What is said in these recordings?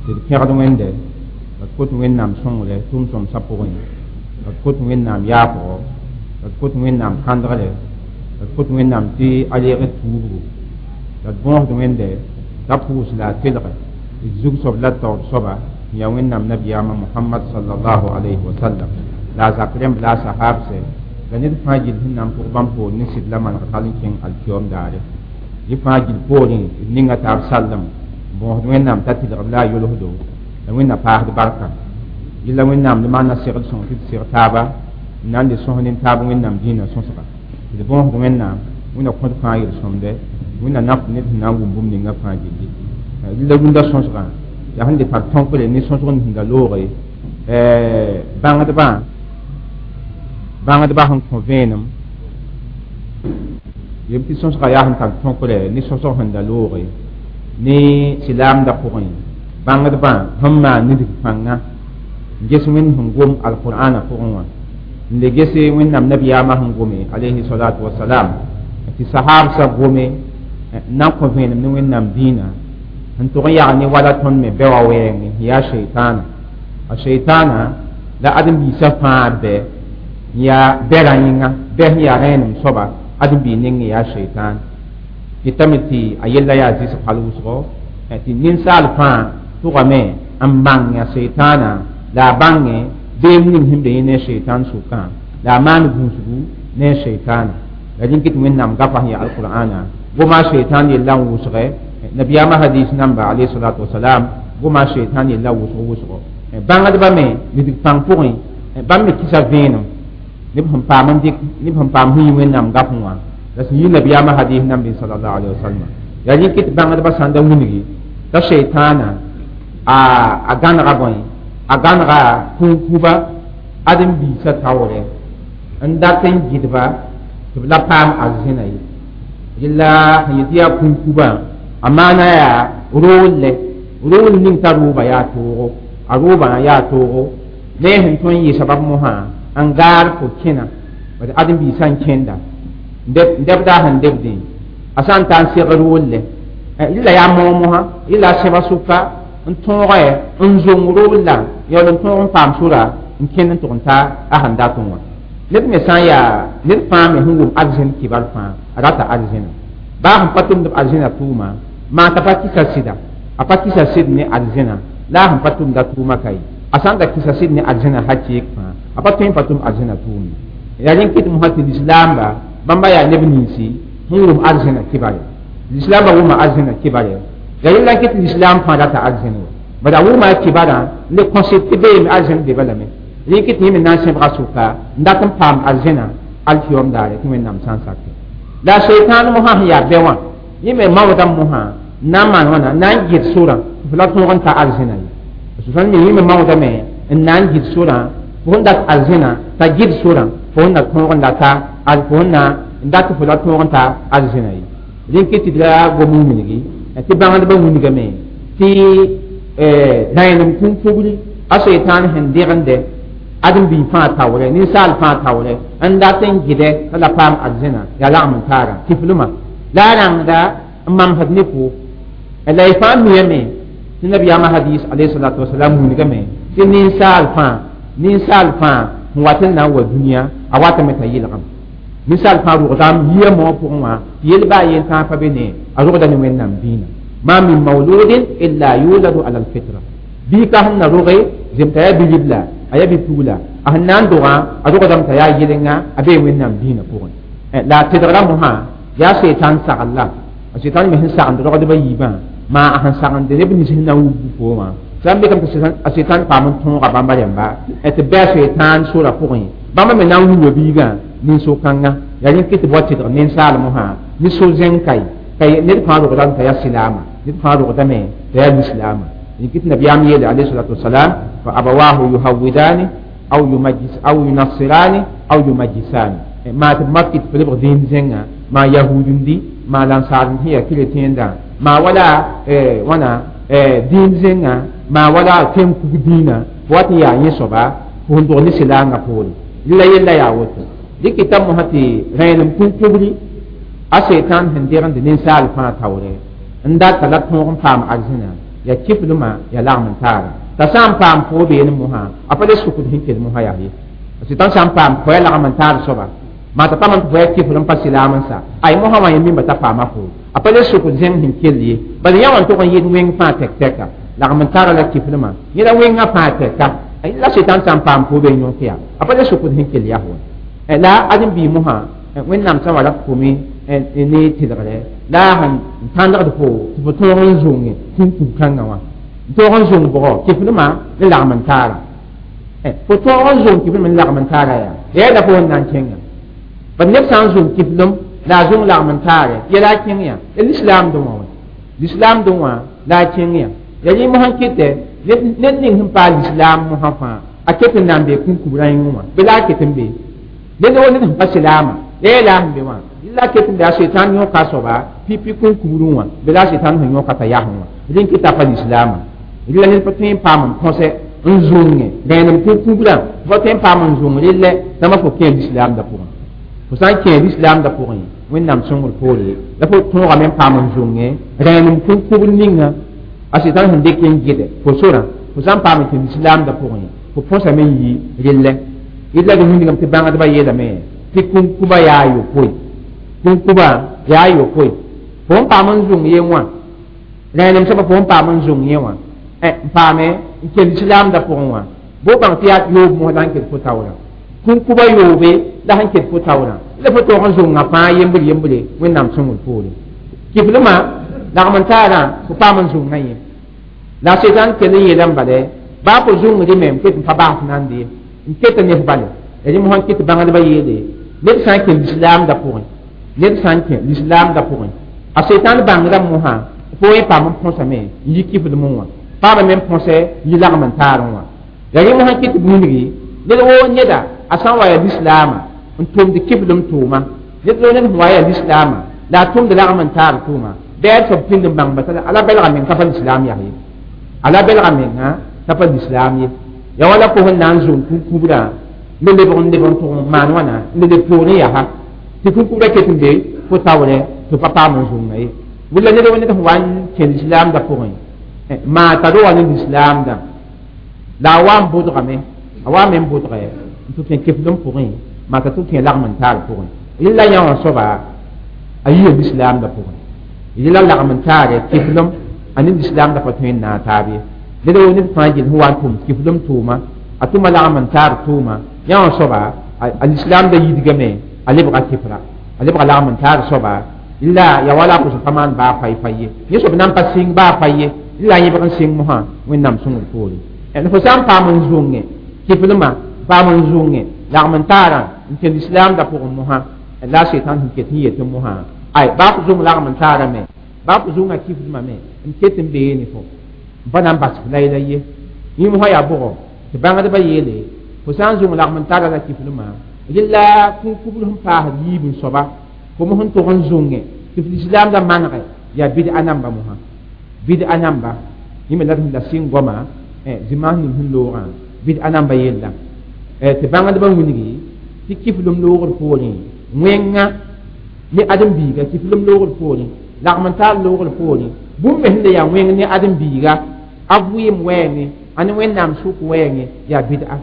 Tɩ d pẽgd Wẽnde, la d kot Wẽnnaam sõngre tʋm-sõmsã pʋgẽ, la d kot Wẽnnaam yaafgo, la d kot Wẽnnaam kãndgre, la d kot Wẽnnaam tɩ a leeg d tuubgu, la d bõosd Wẽnde t'a pʋʋs la a telge d zug soab la d taoor soaba n yaa Wẽnnaam nabiyaamã Mohamad salallahu alayhi wa sallam, la a zak rẽmb la a sahaabsɛ, la ned fãa gill sẽn na n pʋg bãmb poor ne sɩd la maneg hal n kẽng alkiyoom daare. Yẽ fãa gill poorẽ d ninga taab sallem, bõosd Wẽnnaam t'a tɩlgb la a yolsdo, la Wẽnna paasd barka. Yella Wẽnnaam d maana segl sõng tɩ d seg taaba n na n le sõs nin-taab Wẽnnaam dĩinã sõsga. D bõosd Wẽnnaam, Wẽnna kõt fãa yel-sõmde, Wẽnna nafd ned sẽn na n wʋm bũmb ninga fãa gilli. Rɩla rũndã sõsgã yaa sẽn le tar tõkre ne sõsg n sẽn da looge bãngdbã bãngdbã sẽn kõ vẽenem yem tɩ sõsgã yaa sẽn tar tõkre ne sõsg sẽn da looge ne silaamdã pʋgẽ bãngdbã sẽn maan nidg pãnga n ges Wẽnd sẽn gom alqur'ana pʋgẽ wã, n le gese Wẽnnaam nabiyaamã sẽn gome alayhi salatu wasalam, tɩ sahaabsã gome n na n kõ vẽenem ne Wẽnnaam dĩinã sẽn tʋg n yag ne wala tõnd me bɛ wã wɛɛngẽ sẽn yaa sheitaana. A sheitaana la ãdem-biisã fãa bɛ n yaa bɛrã yĩnga, bɛ sẽn yaa rẽenem soaba ãdem-biig nengẽ yaa sheitaan. Kɩtame tɩ a yella yaa zɩsg hal wʋsgo, tɩ ninsaal fãa tʋgame n bãng a sheitaana, la a bãngẽ beem ning sẽn be yẽ ne sheitaan sʋkã, la a maan gũusgu ne sheitaana. La rẽn kɩ tɩ Wẽnnaam gafa sẽn yaa alqur'ana goma sheitaan yella n wʋsgɛ, nabiyaamã hadis namba alayhi salatu wasalam goma sheitaan yella wʋsg wʋsgo. Bãngdbã me nidg pãng pʋgẽ, bãmb me kɩsa vẽenem neb sẽn paam n dɩk, neb sẽn paam sẽn yi Wẽnnaam gafẽ wã, la sẽn yi nabiyaamã hadis nambe salallahu alayhi wa sallam. Yaa rẽ kɩ tɩ bãngdbã sãn da wilgi t'a sheitaana a gãnega bõe, a gãnega kũn-kuba ãdem-biisã taoorɛ n dat n gɩdba tɩ b la paam arzẽna ye. Yella sẽn yetɩ yaa kũn-kubã, a maana yaa roollɛ, rool ning t'a rooba yaa toogo, a roobã yaa toogo ne sẽn tõe n yɩ sabab mosã n gaar fo kẽna bad ãdem-biisã n kẽnda dɛbda sẽn debdẽ a sã n ta n seg roollɛ, rɩla yaa moog mosã, rɩla a sẽba sʋka n tõogɛ n zong roolla yaool n tõog n paam sora n kẽnd n tʋg n ta a sẽn dat n wã. Ned me sã n yaa ned fãa me sẽn wʋm arzẽn kibar fãa a rata arzẽna, baa sẽn pa tʋmd b arzẽna tʋʋma, maa t'a pa kɩsa sɩda, a pa kɩsa sɩd ne arzẽna la a sẽn pa tʋmda tʋʋma ka ye. A sã n da kɩsa sɩd ne arzẽna hakeek fãa, a pa tõe n pa tʋm arzẽna tʋʋmde. Yaa rẽn kɩt mosã tɩ lislaamba bãmba yaa neb ninsi sẽn wʋm arzẽna kibare. Lislaambã wʋma arzẽna kibare, yaa yella n kɩt lislaam fãa rata arzẽn wa, bad a wʋma a kibarã n le kõsɩd tɩ beeme arzẽn be balame. Rẽ kɩt yẽ me na n sẽbga sʋka n dat n paam arzẽna alkiyoom daare tɩ Wẽnnaam sã n sake. La a sheitaan mosã sẽn yaa bɛ wã, yẽ me maoodame mosã n na n maan wãna n na n gɩd sorã tɩ f la tõog n ta arzẽna ye. Sãn me yẽ me maoodame n na n gɩd sorã fo sẽn dat arzẽna t'a gɩd sorã fo sẽn na tõog n la ta fo sẽn na n dat fo la tõog n ta arzẽna ye. Rẽ kɩ tɩ d ra gom n wilgi tɩ bãngdbã wilgame tɩ rãenem kũn-kugri a sheitaan sẽn degende ãdem-biig fãa taoorɛ, ninsaal fãa taoorɛ n dat n gɩdɛ t'a la paam arzẽna yaa lagm n taara kiflmã la a rãngda n mamsd ne fo. La y fãa miyame tɩ nabiyaamã hadis alayhi salatu wasalam wilgame tɩ ninsaal fãa, ninsaal fãa sẽn wat n na n wa dũniyã a watame t'a yɩlgem. Ninsaal fãa rʋgdame yia moogã pʋgẽ wã tɩ yel baa yen tãag pa be ne a rʋgda ne Wẽnnaam dĩinã. Ma min mauludin illa yuladu ala alfitra, bii ka sẽn na roge zem t'a yaa bi-ribla, a yaa bi-pugla, a sẽn na n dogã a rogdame t'a yaa yɩlenga, a bee Wẽnnaam dĩinã pʋgẽ. La a tedgra mosã yaa seitan sagl la a seitan me sẽn sagend rogdbã yiibã, maa a sẽn sagende neb nins sẽn na n wub fo wã sã n bekame tɩ a seitan paam n tõoga bãmba rẽmba tɩ bɩ a seitan sora pʋgẽ bãmba me na n wilga biigã nin-so-kãngã. Yaa rẽn kɩ tɩ b wa tɩdg ninsaal mosã ne so-zẽng ka ye ned fãa rogdame t'a yaa silaama, ned fãa rogdame t'a yaa lislaama. Rẽn kɩ tɩ nabiyaam yeele alayhi salatu wasalam: fa abawahu yuhawidani aw yumajjis aw yunassirani aw yumajjisani, maa tɩ b mak tɩ f lebg dĩin zẽnga, maa yahuudndi, maa lãnsaar sẽn yaa keretẽendã, maa wala wãna dĩin zẽnga, maa wala tẽn-kug dĩinã, fo wat n yaa yẽ soaba fo sẽn dog ne silaangã poore. Rɩla yella yaa woto. Dɩkɩta mosã tɩ rẽenem kũn-kubri a seitan sẽn degend ninsaal fãa taoorɛ n dat t'a la tõog n paam arzẽna. Ya kiflma ya lagm n taara t'a sã n paam fo beene mosã a pa le sukd sẽn kell mosã yaa ye sɩtan sã n paam fo ya lagm n taar soaba maa t'a pa man tɩ fo ya kifl n pa silaam n sa ay mosã wã yẽ mimba t'a paama fo a pa le sukd zẽng sẽn kell ye bala yã wã n tog n yɩɩd wẽng fãa tɛk-tɛka lagm n taara la kiflmã yẽ la wẽngã fãa tɛka la sɩtan sã n paam fo be yõk yaa a pa le sukd sẽn kell yaa fo la ãdem-biig mosã wẽnnaam sã wa rat fo me ne tɩlgre la a sẽn tãndgd fo tɩ fo tõog n zõnge kũn-kub kãngã wã tõog n zõng bʋgɔ kiflmã ne lagm n taara fo tõog n zõng kiflem n lagm n taara yaa yaa la fo n na n kẽnga bad neb sã n zõng kiflem la a zõng lagm n taare yɛla a kẽng yã ya lislaamdẽ wã wã lislaamdẽ wã la a kẽng yã ya yẽ mosã kɩtɛ ned ning sẽn paal lislaam mosã fãa a ket n na n bee kũn-kubrã yĩngẽ wã bɩ la a ket n be ned wo ned sẽn pa silaamã ya la sẽn be wã la ket n be a setan yõka a soaba pipi kũn-kubrẽ wã bɩ la a setan sẽn yõka t'a yasẽ wã rẽn kɩta pa lislaamã rɩla ned pa tõe n paam n põsɛ n zũnge rẽenem kũn-kubrã fo tõe n paam n zũng rɩllɛ tãmba fo kẽ lislaamdã pʋgẽ fo sã n kẽ lislaamdã pʋgẽ wẽnnaam sõngr poore la fo tõogame n paam n zũnge rẽenem kũn-kubr ninga a setan sẽn dɩk n gɩdɛ fo sorã fo sã n paam n kẽ lislaamdã pʋgẽ fo põsame n yi rɩllɛ rɩlla d wĩndgame tɩ bãngdbã yeelame tɩ kũn-kubã yaa a yopoe kũn-kubã yaa a yopoe fo n paam n zũng ye wã rẽenem soaba fo n paam n zũng yẽ wã n paame n kell lislaamdã pʋgẽ wã bo bãng tɩ yaa yoob mos la sẽn ket fo taoorã kũn-kubã yoobe la sẽn ket fo taoorã la fo tõog n zũngã fãa yembre yembre wẽnnaam sõngr poore kiflmã lagm n taarã fo paam n zũngã yẽ la a setan kell n yeelame bala baa fo zũngdɩ me n ket n pa baas nande ye n ket n nef bale ya rẽ mosã n kɩt bãngdbã yeele ned sã n kẽ lislaamdã pʋgẽ ned sã n kẽ lislaamdã pʋgẽ a setan bãngdã mosã fo yẽ paam n põsame n yi kiflmẽ wã paamame n põsɛ yi lagm n taarẽ wã ya rẽ mosã kɩt wilgi ned woo neda a sã n wa ya lislaamã n tʋmd kiflem tʋʋma ned woo ned sẽn wa ya lislaamã la a tʋmd lagm n taar tʋʋma bɩ a soab pĩnd n bãng basa ala belga meng t'a pa lislaam yaa ye ala belga menga t'a pa lislaam ye ya wala fo sẽn na n zũng kũn-kubrã n lebg n leb n tʋg n maan wãna n le leb poorẽ yaa tɩ kũn-kubrã ket n be fo taoorɛ tɩ pa paam n zũnga ye wʋlla ned wo ned sẽn wa n kẽ lislaamdã pʋgẽ maa t'a ro wa ne lislaamdã la a wa n bʋdgame a wa me n bʋdgɛ n tɩ kẽ keflem pʋgẽ maa t'a tɩ kẽ lagm n taar pʋgẽ rɩla yã wã soaba a yia lislaamdã pʋgẽ rɩla lagm n taarɛ keflem a ne lislaamdã pa tõe n naag taab ye ned wo ned fãa gill sẽn wa n tʋm kiflem tʋʋma a tʋma lagm n taar tʋʋma yã wã soaba a lislaamdã yidgame a lebga kifra a lebga lagm n taar soaba la ya wala kʋs pa maan baa fay fay ye yẽ soab na n pa sɩng baa fay ye la yẽbg n sɩng mosã wẽnnaam sõngr poore fo sã n paam n zũnge kiflmã paam n zũnge lagm n taarã n kẽ lislaamdã pʋgẽ mosã la a setan sẽn ket n yet mosã ay baa fo zũng lagm n taarã me baa fo zũngã kiflmã me n ket n bee ne fo n pa na n bas f layla ye yẽ mosã yaa bʋgɔ tɩ bãngdbã yeele fo sã n zũng lagm n taara la kiflmã rɩla kũn-kubr sẽn paasd yiib n soaba fo mos n tʋg n zũnge tɩ f lislaamdã manegɛ yaa bɩd-a namba mosã bɩd-a namba yẽ me la d sẽn la sɩng goama zĩmaas ning sẽn loogã bɩd-a namba yella tɩ bãngdbã wilgi tɩ kiflem loogr poorẽ wẽnga ne ãdem-biiga kiflem loogr poorẽ lagm n taar loogr poorẽ bũmb me sẽn le yaa wẽng ne ãdem-biiga a vɩɩm wɛɛngẽ a ne wẽnnaam sʋk wɛɛngẽ yaa bɩd-a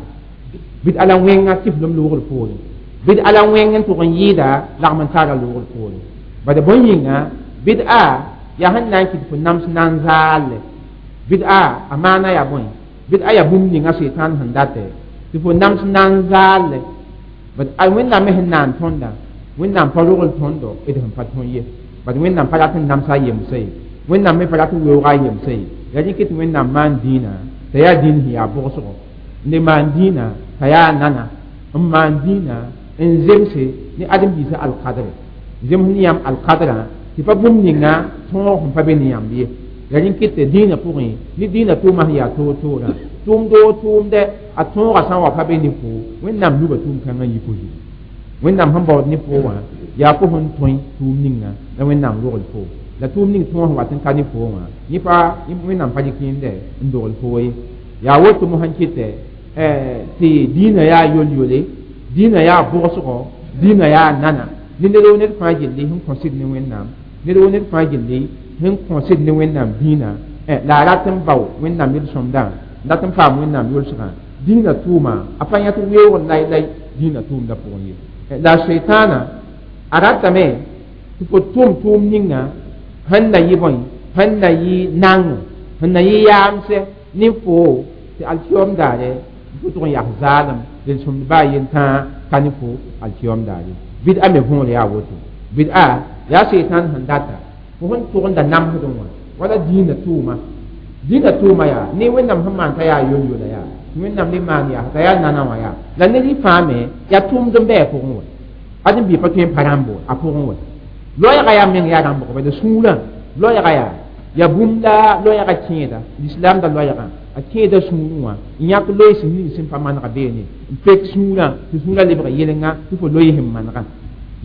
bɩd-a la wẽnga kiflem loogr poorẽ bɩd-a la wẽng n tʋg n yɩɩda lagm n taara loogr poorẽ bad bõe yĩnga bɩd-a yaa sẽn na n kɩt fo nams na n zaalle bɩd-a a maana yaa bõe bɩd-a yaa bũmb ninga setan sẽn datɛ tɩ fo nams na n zaalle bad wẽnnaam me sẽn naan tõndã wẽnnaam pa rogl tõndo d sẽn pa tõe ye bad wẽnnaam pa rat n namsa a yemsa ye wẽnnaam me pa rat n weooga a yemsa ye yaa rɩk tɩ wẽnnaam maan dĩinã t'a yaa dĩin sẽn yaa bʋgsgo n le maan dĩinã t'a yaa nana n maan dĩinã n zemse ne ãdem-biisã alkadre zems ne yãmb alkadrã tɩ pa bũmb ninga tõog sẽn pa be ne yãmb ye yaa rẽn kɩt tɩ dĩinã pʋgẽ ne dĩinã tʋʋmã sẽn yaa toor-toorã tʋʋmd o tʋʋmdɛ a tõogã sã n wa pa be ne fo wẽnnaam luga tʋʋm-kãngã n yi fo zugu wẽnnaam sẽn baood ne fo wã yaa fo sẽn tõe tʋʋm ninga la wẽnnaam rogl fo la tʋʋm ning tõog sẽn wat n ka ne fo wã yẽ pa wẽnnaam pa dɩk yẽndɛ n dogl fo ye yaa woto mosã n kɩtɛ tɩ dĩinã yaa yol-yole dĩinã yaa bʋgsgo dĩinã yaa nana ne ned wo ned fãa gilli sẽn kõsd ne wẽnnaam ned wo ned fãa gilli sẽn kõsd ne wẽnnaam dĩinã La a rat n bao wẽnnaam yel-sõmdã n dat n paam wẽnnaam yʋlsgã dĩinã tʋʋma a pa yãt weoog lai-lai dĩinã tʋʋmdã pʋgẽ ye la setaana a ratame tɩ fo tʋm tʋʋm ninga sẽn na yɩ bõe sẽn na yɩ nango sẽn na yɩ yaamsɛ ne fo tɩ alkiyom daare fo tʋg n yaa zaalem yel-sõmd baa yentãa ka ne fo alkiyom daare bɩd-a me võor yaa woto bɩd-a yaa setan sẽn data fo sẽn tʋgenda namsdẽ wã wala dĩinã tʋʋma dĩinã tʋʋma yaa ne wẽnnaam sẽn maan t'a yaa yol-yola yaa wẽnnaam le maan yaa t'a yaa nana wã yaa la ned y fãa me yaa tʋʋmd n bɩ a pʋgẽ wã ad n bɩ pa tõe n pa rãmbo a pʋgẽ wã loɛɛga yaa meng yaa rãmbg bala sũurã loɛɛga yaa ya bũmb la loɛɛga kẽeda lislaam da loɛɛgã a kẽeda sũurẽ wã n yãk loees nins sẽn pa manega beene n pek sũurã tɩ sũurã lebg yelenga tɩ fo loees n manegã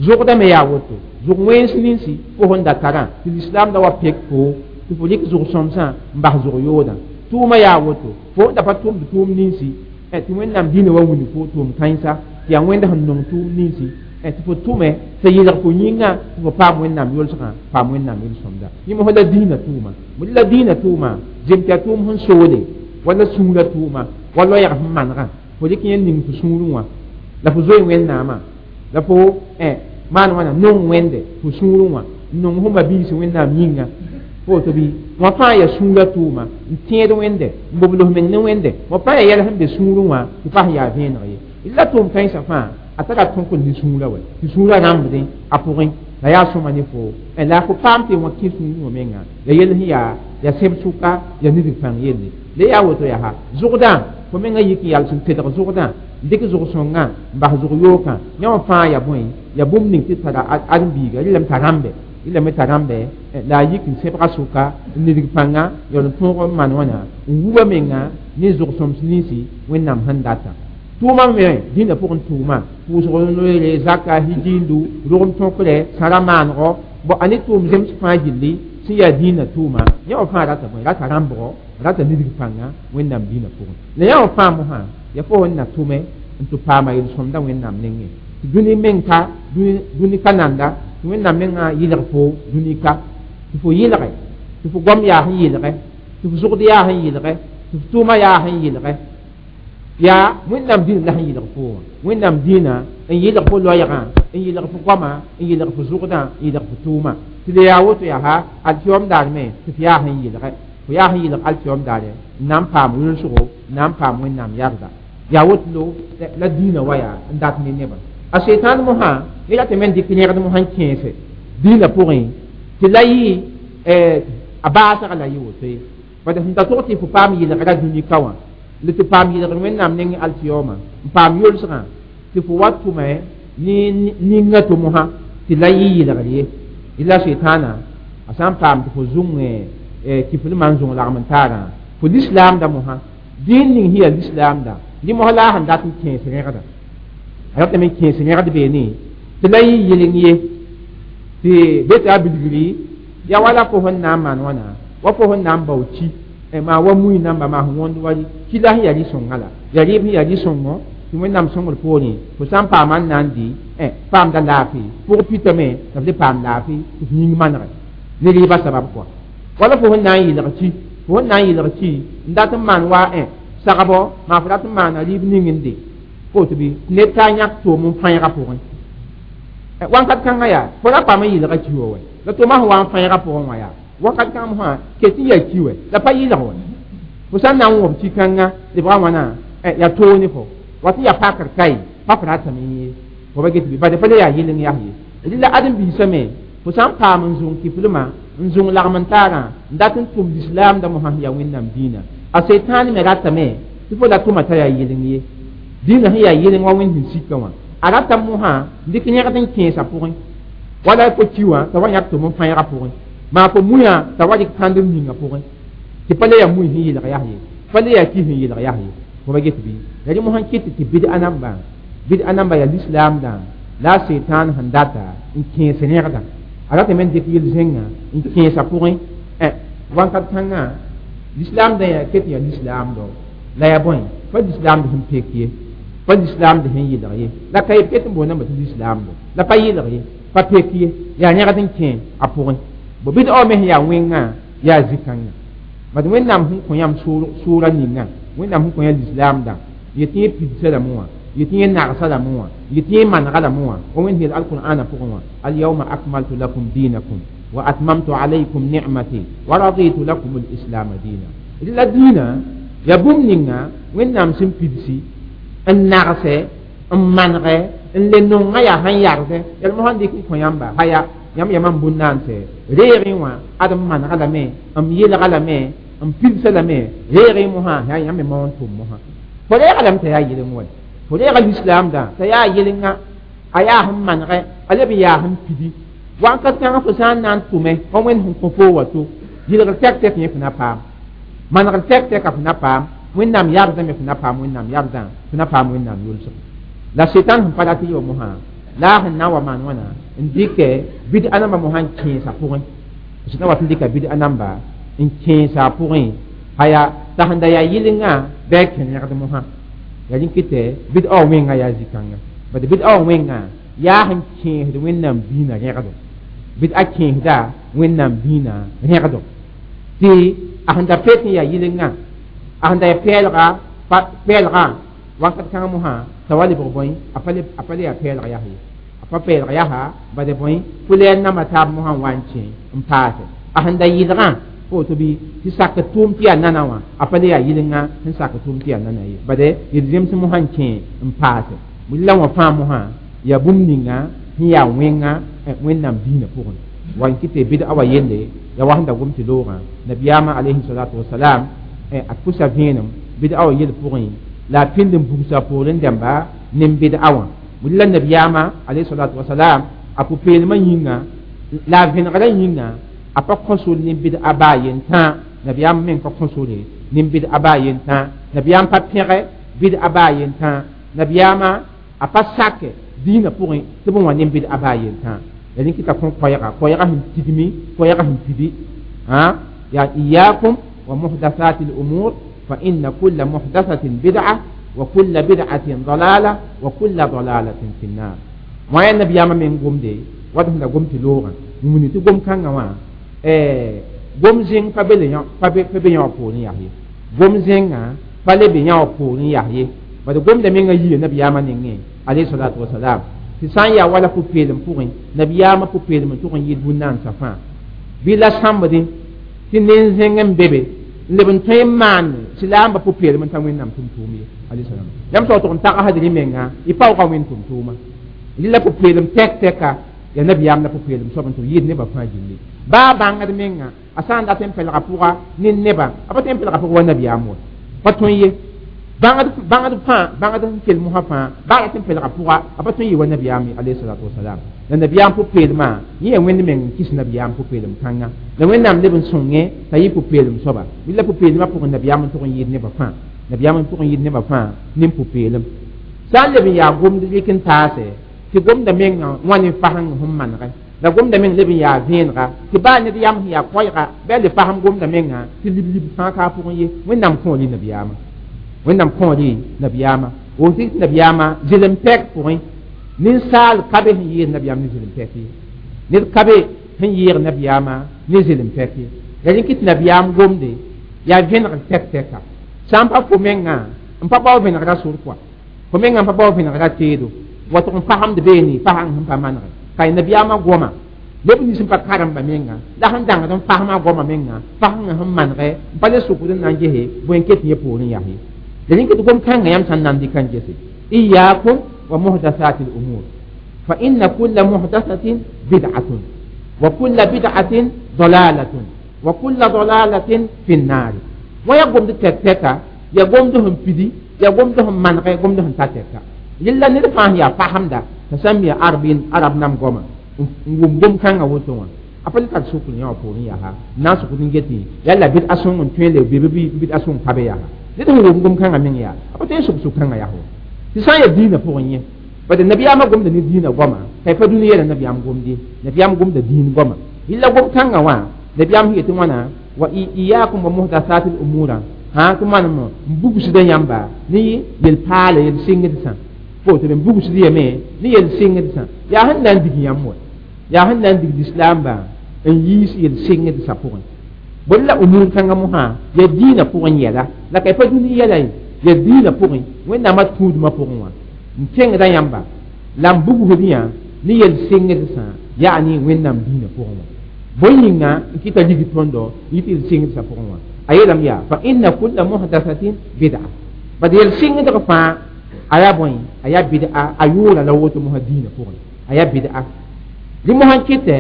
zʋgda me yaa woto zʋg wẽns ninsi fo sẽn da tarã tɩ lislaam da wa pek fo tɩ fo rɩk zʋg-sõmsã n bas zʋg yoodã tʋʋma yaa woto fo da pa tʋmd tʋʋm ninsi tɩ wẽnnaam dĩinã wa wilg fo tʋʋm kãensa tɩ yaa wẽnd sẽn nong tʋʋm ninsi tɩ fo tʋme tɩ yɩlg fo yĩnga tɩ fo paam wẽnnaam yʋlsgã paam wẽnnaam yel-sõmda yẽ mosã la dĩinã tʋʋma la dĩinã tʋʋma zem tɩ yaa tʋʋm sẽn soole wala sũurã tʋʋma wa loɛɛg sẽn manegã fo rɩk yẽ ning fo sũurẽ wã la fo zoe wẽnnaamã la fo maan wãna nong wẽnde fo sũurẽ wã n nong fo mabiis wẽnnaam yĩnga fo woto bɩ wã fãa yaa sũurã tʋʋma n tẽed wẽnde n bobls meng ne wẽnde wã fãa yaa yɛl sẽn be sũurẽ wã tɩ pa sẽn yaa vẽeneg ye la tʋʋm kãensã fãa a tara tõk ne sũurã wa tɩ sũurã rãmbdẽ a pʋgẽ la yaa sõma ne fo la fo paam tɩ wã kẽ sũurẽ wã menga la yell sẽn yaa ya sẽb sʋka ya nidg pãng yelle la yaa woto yaa zʋgdã fo menga yik n yals n tedg zʋgdã n dɩk zʋg-sõngã n bas zʋg yookã yã wã fãa ya bõe ya bũmb ning tɩ tara ãdem-biiga rɩlame t'a rãmbe rɩlame t'a rãmbe la a yik n sẽbga sʋka n nidg pãnga yaool n tõog n maan wãna n wuba menga ne zʋg-sõms ninsi wẽnnaam sẽn data tʋʋma me dĩnã pʋgẽ tʋʋma pʋʋsg noere zaka hijiindu rogem tõkre sãra maanego bo a ne tʋʋm zems fãa gilli sẽn yaa dĩinã tʋʋma yã wã fãa rata bõe rata rãmbgo rata nidg pãnga wẽnnaam dĩinã pʋgẽ la yã wã fãa mosã ya fo sẽn na tʋme n tɩ paama yel-sõmda wẽnnaam nengẽ tɩ dũni meng ka dũni ka nanda tɩ wẽnnaam mengã yɩlg fo dũni ka tɩ fo yɩlge tɩ fo goam yaa sẽn yɩlge tɩ fo zʋgd yaa sẽn yɩlge tɩ fo tʋʋma yaa sẽn yɩlge yaa wẽnnaam dĩnã la sẽn yɩlg fo wã wẽnnaam dĩinã n yɩlg fo loɛɛgã n yɩlg fo goama n yɩlg fo zʋgdã n yɩlg fo tʋʋma tɩ le yaa woto yaa alkiyom daar me tɩ f yaa sẽn yɩlge fo yaa sẽn yɩlg alkiyom daare n na n paam yʋlsgo n na n paam wẽnnaam yarda yaa woto lo la dĩinã wa yaa n dat ne nebã a setan mosã ne ratame n dɩk yẽgd mosã n kẽese dĩinã pʋgẽ tɩ la yɩ a baasga la yɩ woto ye bad sẽn ta tog tɩ fo paam yɩlgra dũni ka wã la tɩ paam yɩlgr wẽnnaam neng alkiyoma n paam yʋlsgã tɩ fo wa tʋme ne ninga tɩ mosã tɩ la yɩ yɩlgr ye la setaana a sã n paam tɩ fo zũng kiflmã n zũng lagm n taarã fo lislaamda mosã dĩin ning sẽn yaa lislaamda dĩ mosã la a sẽn dat n kẽes rẽgda a ratame n kẽes rẽgd beene tɩ la yɩ yɩleng ye tɩ be tɩ a bilgri yaa wala fo sẽn na n maan wãna wa fo sẽn na n bao ki maa wa mui namba maa sẽn wõnd wa ki la sẽn yaa rɩ-sõngã la yaa rɩɩb sẽn yaa rɩ-sõngo tɩ wẽnnaam sõngr poorẽ fo sã n paama n na n dɩ paamda laafɩ pʋg pitame la f le paam laafɩ tɩ f yĩng manege ne rɩɩbã sabab kɔa wala fo sẽn na n yɩlg ki fo sẽn na n yɩlg ki n dat n maan wa sagbɔ maa fo rat n maana rɩɩb ning n de fo tɩ bɩ ned t'a yãk toom n fãeegã pʋgẽ wãnkat kãngã yaa fo ra paam n yɩlga ki wa wɛ la tʋʋmã sẽn wa n fãeegã pʋgẽ wã yaa wakat kãng mosã ket n yaa ki wɛ la pa yɩlg wɛ fo sã n na n wõb ki kãngã lebga wãna yaa toog ne fo wat n yaa pakr kae pa f ratame ye fo ba get bɩ bad pa le yaa yɩleng yaa ye rɩla ãdem-biisã me fo sã n paam n zũng kiflmã n zũng lagm n taarã n dat n tʋm lislaamda mosã sẽn yaa wẽnnaam dĩinã a setaane me ratame tɩ fo la tʋma t'a yaa yɩleng ye dĩinã sẽn yaa yɩleng wa wẽnd sẽn sika wã a rata mosã n dɩk yẽgd n kẽesã pʋgẽ wala fo ki wã t'a wa yãk tʋm n fãeegã pʋgẽ maa fo muya t'a wa dɩk kãndem ninga pʋgẽ tɩ pa le yaa mui sẽn yɩlg yaa ye pa le yaa ki sẽn yɩlg yaa ye fo ba get bɩ la rẽ mosã kɩt tɩ bɩd-a namba bɩd-a namba yaa lislaamdã la a setan sẽn data n kẽes rẽgda a ratame n dɩk yel-zẽngã n kẽesã pʋgẽ wãnkat kãngã lislaamdã yaa ket n yaa lislaamdo la yaa bõe pa lislaamd sẽn pek ye pa lislaamd sẽn yɩlg ye la ka ye pet n boondame tɩ lislaamdo la pa yɩlg ye pa pek ye yaa yẽgd n kẽ a pʋgẽ bo bɩd-a me sẽn yaa wẽngã yaa zĩ-kãngã Bad Wẽnnaam sẽn kõ yãmb sʋʋra ninga, Wẽnnaam sẽn kõ yã lislaamdã, yetɩ yẽ pidsa lame wã, yetɩ yẽ nagsa lame wã, yetɩ yẽ manega lame wã. Wa Wẽnd yeel alqur'ana pʋgẽ wã: alyawma akmaltu lakum dinakum wa atmamtu alaykum ni'mati wa raditu lakum alislama dina. D la dĩinã yaa bũmb ninga Wẽnnaam sẽn pidsi n nagsɛ, n manegɛ, n le nongã yaa sẽn yardẽ yal mosã n dɩk n kõ yãmba haya yãmb yamã n bũn-naansɛ reegẽ wã ad m manega lame, m yelga lame, n pidsa lame reegẽ mosã yaa yãmb me mao n tʋm mosã. Fo reega lame t'a yaa yeleng wa, fo reega lislaamdã t'a yaa yelenga, a yaa sẽn manegɛ, a leb n yaa sẽn pidi wakat kãngã. Fo sã n na n tʋme wa Wẽnd sẽn kõ foo wa to yɩlgr tɛk tɛk yẽ fo na paam, manegr tɛk tɛka fo na paam, Wẽnnaam yardã me fo na paam, Wẽnnaam yardã fo na paam, Wẽnnaam yʋlsg. La setan sẽn pa rat y wa mosã la a sẽn na n wa maan wãna n dɩkɛ bid-a nambã mosã n kẽesa pʋgẽ. Sẽn wat n dɩka bid-a namba n kẽesa a pʋgẽ haya t'a sẽn da yaa yɩlengã bɩ a kẽnegd mosã yaa rẽ kɩtɛ bid-a wã wẽngã yaa zĩ-kãnga. Bad bid-a wã wẽngã yaa sẽn kẽesd Wẽnnaam biinã rẽgdo, bid-a kẽesda Wẽnnaam biinã rẽgdo, tɩ a sẽn da pet n yaa yɩlengã, a sẽn da yaa pɛɛlga pɛɛlgã wakat kãngã mosã t'a wa lebg bõe, a pa le yaa pɛɛlg yas ye, a pa pɛɛlg yasa bad bõe pʋlɛɛr namba taab mosã n wa n kẽ n paase. A sẽn da yɩlgã fo woto bɩ tɩ sak tʋʋm tɩ yaa nana wã, a pa le yaa yɩlenga sẽn sak tʋʋm tɩ yaa nana ye, bad yel-zems mosã n kẽ n paase. La wã fãa mosã yaa bũmb ninga sẽn yaa wẽnga Wẽnnaam diinã pʋgẽ wa n kɩ tɩ bɩd-a wa yelle ya wa sẽn da gom tɩ loogã nabiyaamã alayhi salatu wasalam a pʋsa vẽenem bɩd-a wa yel pʋgẽ la a pĩnd n bugsa poorẽ dãmba nin-bɩd-a wã. La nabiyaamã alayhi salatu wasalam a pʋ-peelmã yĩnga la a vẽnegrã yĩnga a pa kõ sor nin-bɩd-a baa yentã. Nabiyaam meng pa kõ sore nin-bɩd-a baa yentã, nabiyaam pa pẽgɛ bɩd-a baa yentã, nabiyaamã a pa sake dĩinã pʋgẽ tɩ b wã nin-bɩd-a baa yentã. La rẽ kɩta kõ koɛɛga, koɛɛga sẽn tigmi, koɛɛga sẽn pidi yaa iyakum wa muhdathati al-umur fa inna kulla muhdathatin bid'a wa kulla bid'atin dalala wa kulla dalalatin fi nnar. Wã yaa nabiyaamã meng gomde wat sẽn da gom tɩ loogã wũni tɩ gom kãngã wã gom zẽng pa be yã wã poorẽ yas ye, gom zẽngã pa le be yã wã poorẽ yas ye, bad gomda mengã yia nabiyaamã nengẽ alayhi salatu wasalam tɩ sã n yaa wala pʋ-peelem pʋgẽ nabiyaamã pʋ-peelem n tʋg n yɩɩd bũn-naandsã fãa bɩ la sãmbdẽ tɩ nen-zẽng n be be n leb n tõe n maan silaambã pʋ-peelem n ta Wẽnnaam tʋm-tʋʋm ye alayhi salam. Yãmb sao tʋg n tagsd rẽ menga y paooga Wẽnd tʋm-tʋʋma rɩla pʋ-peelem tɛk tɛka yaa nabiyaam la pʋ-peelem soab n tʋg yɩɩd nebã fãa gilli baa bãngd menga a sã n dat n pɛlga pʋga ne nebã a pa tõe n pɛlga pʋga wa nabiyaam wa pa tõe ye bãngd fãa bãngd sẽn kell mosã fãa baa rat n pɛlga pʋga a pa tõe n yɩ wa nabiyaam alayhi salatu wasalam. La nabiyaam pʋ-peelmã yẽ yaa Wẽnd meng n kɩs nabiyaam pʋ-peelem kãnga la Wẽnnaam leb n sõngẽ t'a yɩ pʋ-peelem soaba la pʋ-peelmã pʋgẽ nabiyaam n tʋg n yɩɩd nebã fãa, nabiyaam n tʋg n yɩɩd nebã fãa ne pʋ-peelem. Sã n leb n yaa gomd rɩk n taase tɩ gomda mengã wã ne fasẽng sẽn manegɛ la gomda meng leb n yaa vẽenega tɩ baa ned yam sẽn yaa koɛɛga bɩ a le fasem gomda menga tɩ lib-lib fãa ka a pʋgẽ ye. Wẽnnaam kõor nabiyaamã, Wẽnnaam kõor nabiyaamã woto tɩ nabiyaamã zɩlem pɛk pʋgẽ ninsaal ka be sẽn yɩɩd nabiyaam ne zɩlem pɛk ye, ned ka be sẽn yɩɩg nabiyaamã ne zɩlem pɛk ye. La rẽ kɩ tɩ nabiyaam gomde yaa vẽnegr tɛk tɛka sã n pa fo mengã n pa bao vẽnegrã sor kɔa fo mengã n pa bao vẽnegrã teedo wa tʋg n fasemd beene fasãng sẽn pa manege ka nabiyaamã goma leb nins n pa karemba menga la sẽn dãngd n fasma goama menga fasẽngã sẽn manegɛ n pa le sʋkd n na n gese bõe n ket yẽ poorẽ yas ye. La rẽ kɩ tɩ gom kãngã yãmb sã n na n dɩka n gese iyakum wa muhdathati al-umur fa inna kulla muhdathatin bid'atun wa kulla bid'atin dalalatun wa kulla dalalatin fi an-nar. Wã yaa gomd tɛk tɛka, yaa gomd sẽn pidi, yaa gomd sẽn manegɛ, gomd sẽn ta tɛka yella ned fãa sẽn yaa fasemda t'a sã n mi arab nam goama n wʋm gom kãngã woto wã a pa le tar sʋkr yã wã poorẽ yaa n na n sʋkd n getẽ yaa la bɩd a sõng n tõe le be bɩ bɩd a sõng pa be yaa ned sẽn wʋm gom kãngã meng yaa a pa tõe n sʋk sʋk kãngã yaa tɩ sã n yaa dĩinã pʋgẽ yẽ bad nabiyaamã gomda ne dĩinã goama ka y pa dũni yɛla nabiyaam gomde, nabiyaam gomda dĩin goama yella gom kãngã wã nabiyaam sẽn yetɩ wãna wa iyakum wa muhdathati al-umura ha tɩ manem n bugsda yãmba ne yel-paala yel-sɩngdsã fo tɩ n bugsd yame ne yel-sɩngdsã yaa sẽn na n dig yãmb wa yaa sẽn na n dig lislaambã n yiis yel-sɩngdsã pʋgẽ. Bõe la umur kãngã mosã ya dĩinã pʋgẽ yɛla la ka y pa dũni yɛla ye ya dĩinã pʋgẽ Wẽnnaamã tũudmã pʋgẽ wã n kẽngda yãmba la n bugsd yã ne yel-sɩngdsã yaa ne Wẽnnaam dĩinã pʋgẽ wã bõe yĩnga n kɩta lig tõndo yɩ tɩ yel-sɩngdsã pʋgẽ wã a yeelame yaa fa inna kulla muhdathatin bid'a bad yel-sɩngdg fãa a yaa bõe a yaa bid'a a yʋʋra la woto mosã dĩinã pʋgẽ a yaa bid'a rẽ mosã n kɩtɛ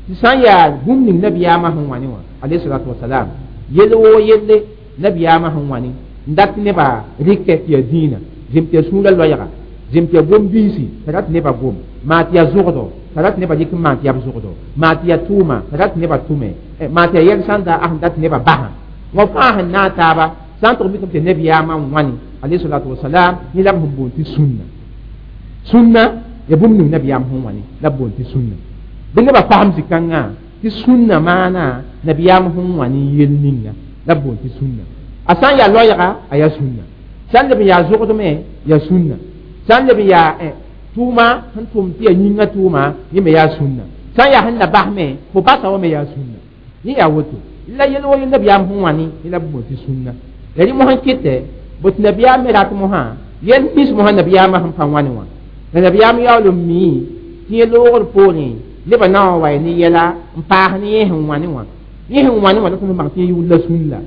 tɩ sã n yaa bũmb ning nabiyaamã sẽn wã ne wã alayhi salatu wasalam yell woo yelle nabiyaamã sẽn wã ne n dat nebã rɩkɛ tɩ yaa dĩinã zem tɩ yaa sũurã loɛɛga zem tɩ yaa gom-biisi t'a rat nebã gom maa tɩ yaa zʋgdo t'a rat nebã dɩk n maan tɩ yaa b zʋgdo maa tɩ yaa tʋʋma t'a rat nebã tʋme maa tɩ yaa yɛl sãnda a sẽn dat nebã basã wã fãa sẽn naag taaba sã n tʋg mikame tɩ nabiyaamã n wãne alayhi salatu wasalam yẽ la b sẽn boond tɩ sũnna sũnna ya bũmb ning nabiyaam sẽn wã ne la b boond tɩ sũnna bɩ nebã fasem zĩ-kãngã tɩ sũnna maana nabiyaam sẽn wã ne yel ninga la b boond tɩ sũnna a sã n yaa loɛɛga a yaa sũnna sã n leb n yaa zʋgdme yaa sũnna sã n leb n yaa tʋʋma sẽn tʋm tɩ yaa yĩngã tʋʋma yẽ me yaa sũnna sã n yaa sẽn na basme fo basa wa me yaa sũnna yẽ yaa woto la yel wo yel nabiyaam sẽn wã ne yẽ la b boond tɩ sũnna la rẽ mosã kɩtɛ bot nabiyaam me rat mosã yel mis mosã nabiyaamã sẽn pa wãne wã la nabiyaam yaool n mii tɩ yẽ loogr poorẽ nebã na wã wa ne yɛla n paas ne yẽ sẽn wã ne wã yẽ sẽn wã ne wã la tõnd bãng tɩ yẽ yʋʋr la sũnna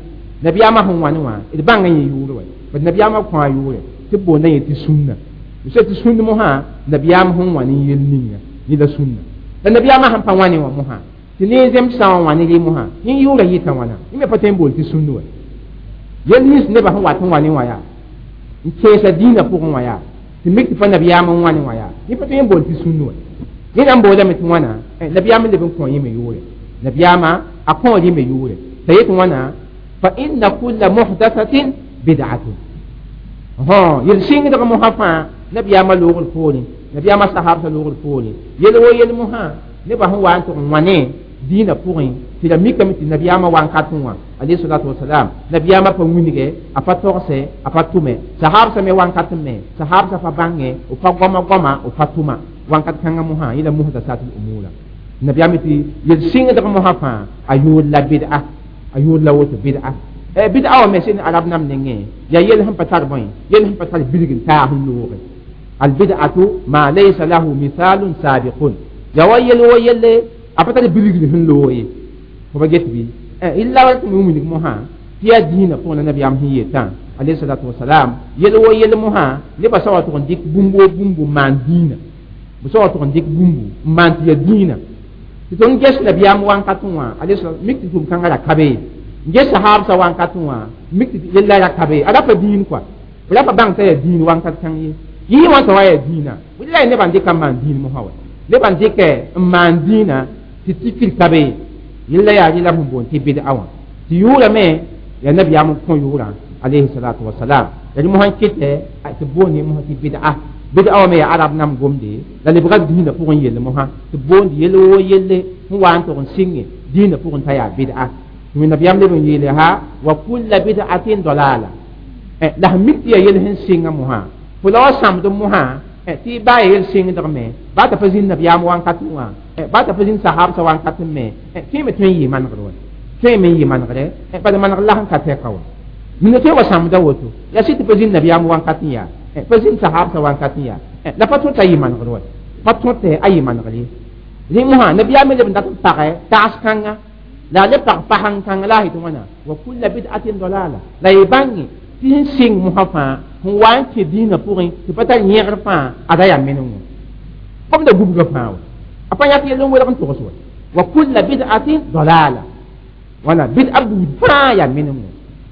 nabiyaamã sẽn wã ne wã d bãnga yẽ yʋʋr wa bad nabiyaamã kõ a yʋʋre tɩ b boonda yẽ tɩ sũnna b tɩ sũnd mosã nabiyaam sẽn wã ne yel ninga yẽ la sũnna la nabiyaamã sẽn pa wã ne wã mosã tɩ ne zemsã wã wã ne rɩ mosã yẽ yʋʋra yɩta wãna yẽ me pa tõe n bool tɩ sũnd wa yel nins nebã sẽn wat n wã ne wã yaa n kẽesa dĩinã pʋgẽ wã yaa tɩ mik tɩ pa nabiyaam n wã ne wã yaa yẽ pa tõe n bool tɩ sũnd wa yẽ na n boodame tɩ wãna nabiyaam leb n kõ yẽ me yʋʋre nabiyaamã a kõ rẽ me yʋʋre t'a yet wãna fa inna kulla muhdathatin bid'atun yel-sɩngdg mosã fãa nabiyaamã loogr poorẽ nabiyaamã sahabsã loogr poorẽ yel wo yel mosã nebã sẽn wa n tʋg n wãne dĩinã pʋgẽ tɩ la mikame tɩ nabiyaamã wan-kat wã alayhi salatu wasalam nabiyaamã pa wilge a pa togse a pa tʋme sahabsã me wan-kat me sahabsã pa bãnge b pa goama goama b pa tʋma wan-kat kãngã mosã yẽ la muhdasatul umura nabiyaam tɩ yel-sɩngdg mosã fãa a yʋʋr la bid'a a yʋʋr la woto bid'a bid'a wã me sẽn arab nam nengẽ yaa yel sẽn pa tar bõe yel sẽn pa tar bilg n taag n looge albid'atu ma laysa lahu mithalun sabiqun ya wa yel wo yelle a pa tar bilgr sẽn loog ye fo pa get bɩ illa wa tɩ wilg mosã tɩ yaa dĩinã pʋgẽ la nabiyaam sẽn yetã alayhi salatu wasalam yel wo yel mosã nebã sã wa tʋg n dɩk bũmb wo bũmb n maan dĩinã b sã wa tʋg n dɩk bũmbu n maan tɩ yaa dĩinã tɩ tõnd ges nabiyaam wãnkat wã alayhi salam mik tɩ tʋʋm-kãngã ra ka be n ges sahabsã wãnkat wã mik tɩ yella ra ka be a ra pa dĩin kɔa b ra pa bãng t'a yaa dĩin wãnkat kãng ye yɩ wã t'a wa yaa dĩinã la ya nebã n dɩka n maan dĩin mosã wa nebã n dɩkɛ n maan dĩinã tɩ tikr ka be yella yaa rɩ la b sẽn boond tɩ bid'a wã tɩ yʋʋrame yaa nabiyaam n kõ yʋʋrã alayhi salatu wasalam ya rẽ mosã n kɩtɛ tɩ boond mosã tɩ bid'a bid'a wã me yaa arab nam gomde la lebga dĩinã pʋgẽ yell mosã tɩ boond yell wo yelle sẽn wa n tʋg n sɩnge dĩinã pʋgẽ t'a yaa bid'a tɩ nabiyaam leb n yeele ha wa kulla bid'atin dalala la sẽn mik tɩ yaa yell sẽn sɩnga mosã fo la wa sãmd mosã tɩ baa ya yel sɩngdg me baa t'a pa zĩnd nabiyaam wãnkat wã baa t'a pa zĩnd sahabsã wãnkat me tõe me tõe n yɩ manegr wa tõe me n yɩ manegre bad manegr la sẽn ka tɛka wa mina tõe wa sãmda woto yaa sɩ tɩ pa zĩnd nabiyaam wãnkat n yaa pa zĩnd sahabsã wãnkat n yaa la pa tõe t'a yɩ manegr wa pa tõe tɩ a yɩ manegr ye rẽ mosã nabiyaam me leb n dat n pagɛ tags kãnga la a le pag pasẽn kãng la a yetɩ wãna wa kulla bid'atin dalala la y bãnge tɩ sẽn sɩng mosã fãa sẽn wa n kẽ dĩinã pʋgẽ tɩ pa tar yẽgr fãa ada yaa meneng kom da gubga fãa wa a pa yãk yell n welg n togs wa wa kulla bid'atin dalala wala bid'a buud fãa yaa meneng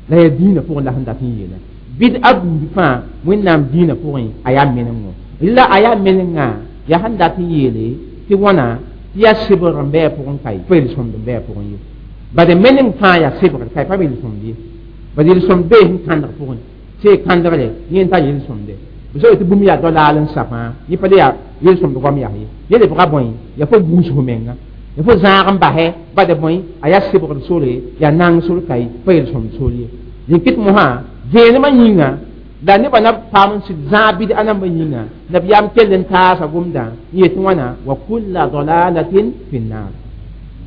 la yaa dĩinã pʋgẽ la sẽn dat n yeela bid'a buud fãa Wẽnnaam dĩinã pʋgẽ a yaa meneng la a yaa menengã yaa sẽn dat n yeele tɩ wãna tɩ yaa sɩbgr n bɩ a pʋgẽ ka pa yel-sõmd n bɩ a pʋgẽ ye bad meneng fãa yaa sɩbgr ka pa yel-sõmd ye bad yel-sõmd bee sẽn kãndg pʋgẽ tɩ kãndgre yẽ n tar yel-sõmde b sã tɩ bũmb yaa dalaal n sapã yẽ pa le yaa yel-sõmd goam yaa ye yẽ lebga bõe yaa fo buus fo menga yaa fo zãag n basɛ bad bõe a yaa sɩbgr sore yaa nang sor ka pa yel-sõmd sor ye rẽ kɩt mosã vẽenemã yĩnga la nebã na paam n sɩd zãag bid'a nambã yĩnga nabiyaam kell n taasa gomdã n yetɩ wãna wa kulla dalalatin fi nnar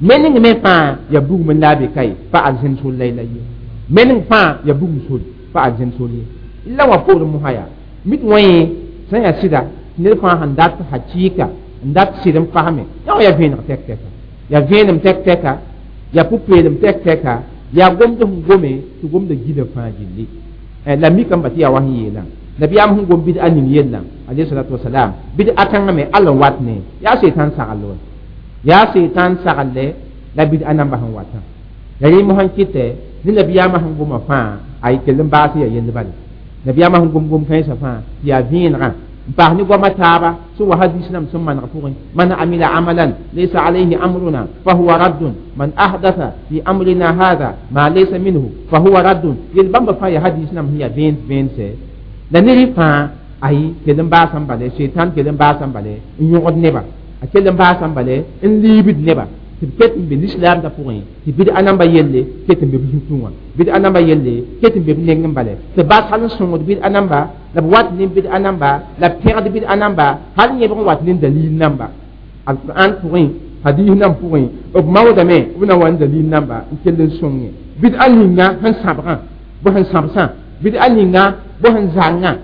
Mening me fãa ya bugum n la a be ka ye, pa arzẽn sor la y la ye. Mening fãa ya bugum sor, pa arzẽn sor ye. La wã poorẽ mosã yaa mit wã yẽ sẽn yaa sɩda tɩ ned fãa sẽn dat hakɩɩka n dat sɩd n fasme yã wã yaa vẽeneg tɛk-tɛka, yaa vẽenem tɛk-tɛka, yaa pʋ-peelem tɛk-tɛka, yaa gomd sẽn gome tɩ gomda gila fãa gilli. La mikame tɩ yaa wa sẽn yeelã nabiyaam sẽn gom bɩd a ning yellã alayhi salatu wasalam, bɩd a kãngã me all n wat ne yaa setan sagl wa, yaa setan sagl la bɩd a namba sẽn watã. La rẽ mosã n kɩtɛ ne nabiyaamã sẽn goma fãa a kell n baas ya yell bala. Nabiyaamã sẽn gom gom-kãensã fãa tɩ yaa vẽenegã n paas ne goamã taaba sẽn wa hadis nam sẽn maneg pʋgẽ: man amila amalan laysa alayhi amruna fahuwa raddun, man ahdatha fi amrina hada ma laysa minhu fahuwa raddun. Yel bãmba fãa yaa hadis nam sẽn yaa vẽens vẽense la ned fãa ayi kell n baasã n bale, setan kell n baasã n bale n yõgd neba, a kell n baasã n bale n liibd neba tɩ b ket n be lislaamdã pʋgẽ, tɩ bɩd a namba yelle ket n be b zutẽ wã, bɩd a namba yelle ket n be b neng n bale, tɩ bas hal n sõngd bɩd a namba la b wat ne bɩd a namba la b pẽgd bɩd a namba hal yẽbg n wat ne dalil namba alquran pʋgẽ, hadis nam pʋgẽ b maoodame b na wa n dalil namba n kell n sõnge bɩd a ninga sẽn sãbgã bɩ sẽn sãbsã, bɩd a ninga bɩ sẽn zangã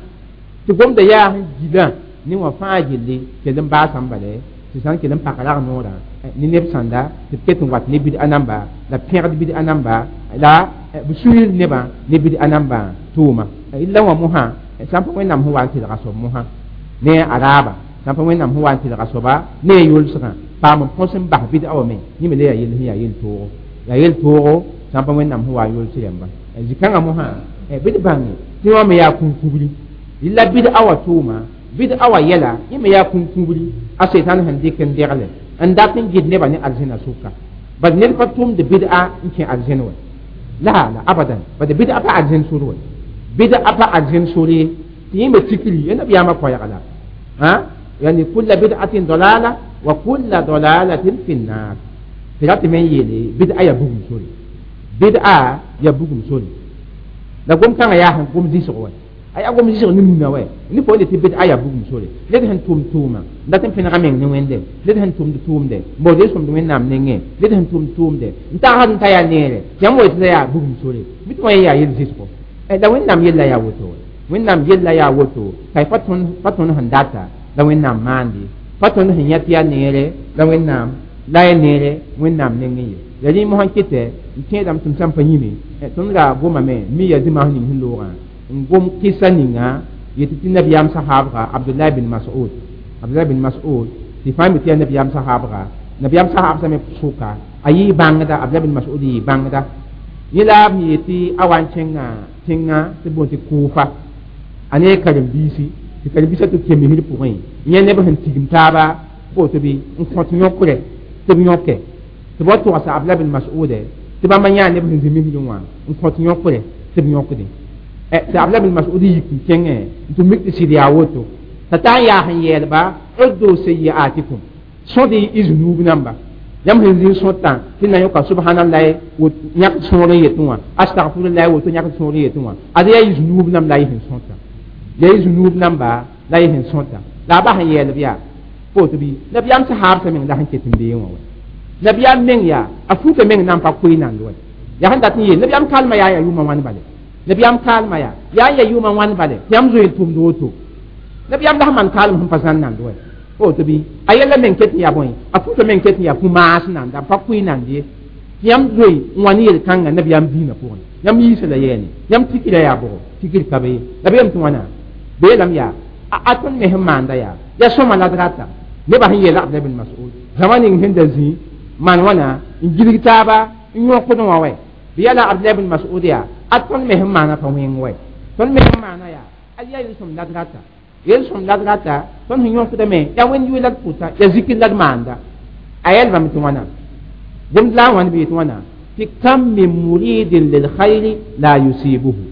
tɩ gomda yaa sẽn gilã ne wã fãa gilli kell n baasã n bale tɩ sã n kell n pak rag noorã ne neb sãnda tɩ b ket n wat ne bɩd a namba la pẽgd bɩd a namba la b sũyir nebã ne bɩd a nambã tʋʋma. La wã mosã sã n pa wẽnnaam sẽn wa n tɩlga soab mosã ne a raaba, sã n pa wẽnnaam sẽn wa n tɩlga soaba ne a yolsgã paam n põs n bas bɩd a wã me yẽ me la yaa yell sẽn yaa yel-toogo, yaa yel-toogo sã n pa wẽnnaam sẽn wa n yols rẽmba zĩ-kãngã mosã bɩ d bãnge tɩ wã me yaa kũn-kubri la bɩd a wã tʋʋma, bɩd a wã yɛla yẽ me yaa kũn-kubri a setan sẽn dɩk n degle n dat n gɩd nebã ne arzẽna sʋka. Bad ned pa tʋmd bɩd a n kẽ arzẽn wɛ la la abadan, bad bɩd a pa arzẽn sor wɛ, bɩd a pa arzẽn sor ye tɩ yẽ me tikri ya nabiyaamã koɛɛga la yani kulla bid'atin dalala wa kulla dalalatin fi nnar. Tɩ ra tɩ me n yeele bɩd a yaa bugum sore, bɩd a yaa bugum sore la gom-kãngã yaa sẽn gom zɩsg wɛ, a yaa gom zɩsg ne nina wɛ ne fo tɩ bɩd a yaa bugum sore. Ned sẽn tʋm tʋʋma n dat n pẽnega meng ne wẽnde, ned sẽn tʋmd tʋʋmde n baood yel-sõmd wẽnnaam nengẽ, ned sẽn tʋmd tʋʋmde n tagsd n ta yaa neere tɩ yãmb wa yetɩ la yaa bugum sore bɩ tɩ wã yaa yel zɩsgo. La wẽnnaam yella yaa woto wɛ, wẽnnaam yella yaa woto ka pa tõnd sẽn data la wẽnnaam maande, pa tõnd sẽn yã tɩ yaa neere la wẽnnaam la ya neere wẽnnaam nengẽ ye. La rẽ mosã kɩtɛ n tẽedame tɩ m sã n pa yĩme tõnd ra gomame mi ya zĩma ning sẽn loogã n gom kɩsa ninga yetɩ tɩ nabiyaam sahaabga Abdullah bin Mas'ud, Abdullah bin Mas'ud tɩ fãa mi tɩ yaa nabiyaam sahaabga, nabiyaam sahaab me sʋka a yɩ bãngda, Abdullah bin Mas'ud yɩ bãngda yẽ la b yetɩ a wa n kẽnga tẽŋa tɩ boon tɩ Kuufa a ne karen-biisi tɩ karen-biisã tɩ kẽ misr pʋgẽ yẽ neb sẽn tigim taaba boto bɩ n kõt yõkre tɩ b yõke tɩ b wa togsa Abdullah bin Mas'ud tɩ bãmba yãa neb sẽn zĩ misrẽ wã n kõt yõkre tɩ b yõkdẽ tɩ Abdullah bin Mas'ud yik n kẽngẽ n tɩ mik tɩ sɩd yaa woto t'a taa n yaa sẽn yɛɛlba uddu sayiatikum sõd y zunuub namba yãmb sẽn zĩ n sõtã tɩ na yõka subhanallahi yãk sõor n yetẽ wã, astagfirullahi woto yãk sõor n yetẽ wã ad yaa y zunuub namb la y sẽn sõta, yaa y zunuub namba la y sẽn sõta la a bas n yɛɛlb yaa foto bɩ nabiyaam sahaabsã meng la sẽn ket n beẽ wã wɛ nabiyaam meng yaa a fuka meng na n pa koe nand wɛ yaa sẽn dat n yeel nabiyaam kalmã yaa yaa yʋʋmã wãn bale, nabiyaam kalmã yaa yaa yʋʋmã wãn bale tɩ yãmb zoe n tʋmd woto nabiyaam la sẽn maan kalem sẽn pa zãn nand wɛ foto bɩ a yɛla meng ket n yaa bõe a fuka meng ket n yaa fu-maas nanda n pa koe nand ye tɩ yãmb zoe n wa ne yel-kãngã nabiyaam dĩinã pʋgẽ yãmb yiisa la yɛɛne yãmb tikra yaa bʋgo tikr ka be ye la beem tɩ wãna beelame yaa a tõnd me sẽn maanda yaa ya sõma la d rata nebã sẽn yeela Abdullah bin Mas'ud zãma ning sẽn da zĩ maan wãna n gilg taaba n yõkd wã wɛ bɩ yaa la Abdullah bin Mas'ud yaa a tõnd me sẽn maana pa wẽng wɛ tõnd me sẽn maana yaa ad yaa yel-sõm la d rata, yel-sõm la d rata tõnd sẽn yõkdame yaa wẽnd yʋɩ la d pʋta yaa zikr la d maanda a yɛlbame tɩ wãna gomd la a wãn bɩ yetɩ wãna tɩ kam min muridin lilkhayri la yusibuhu,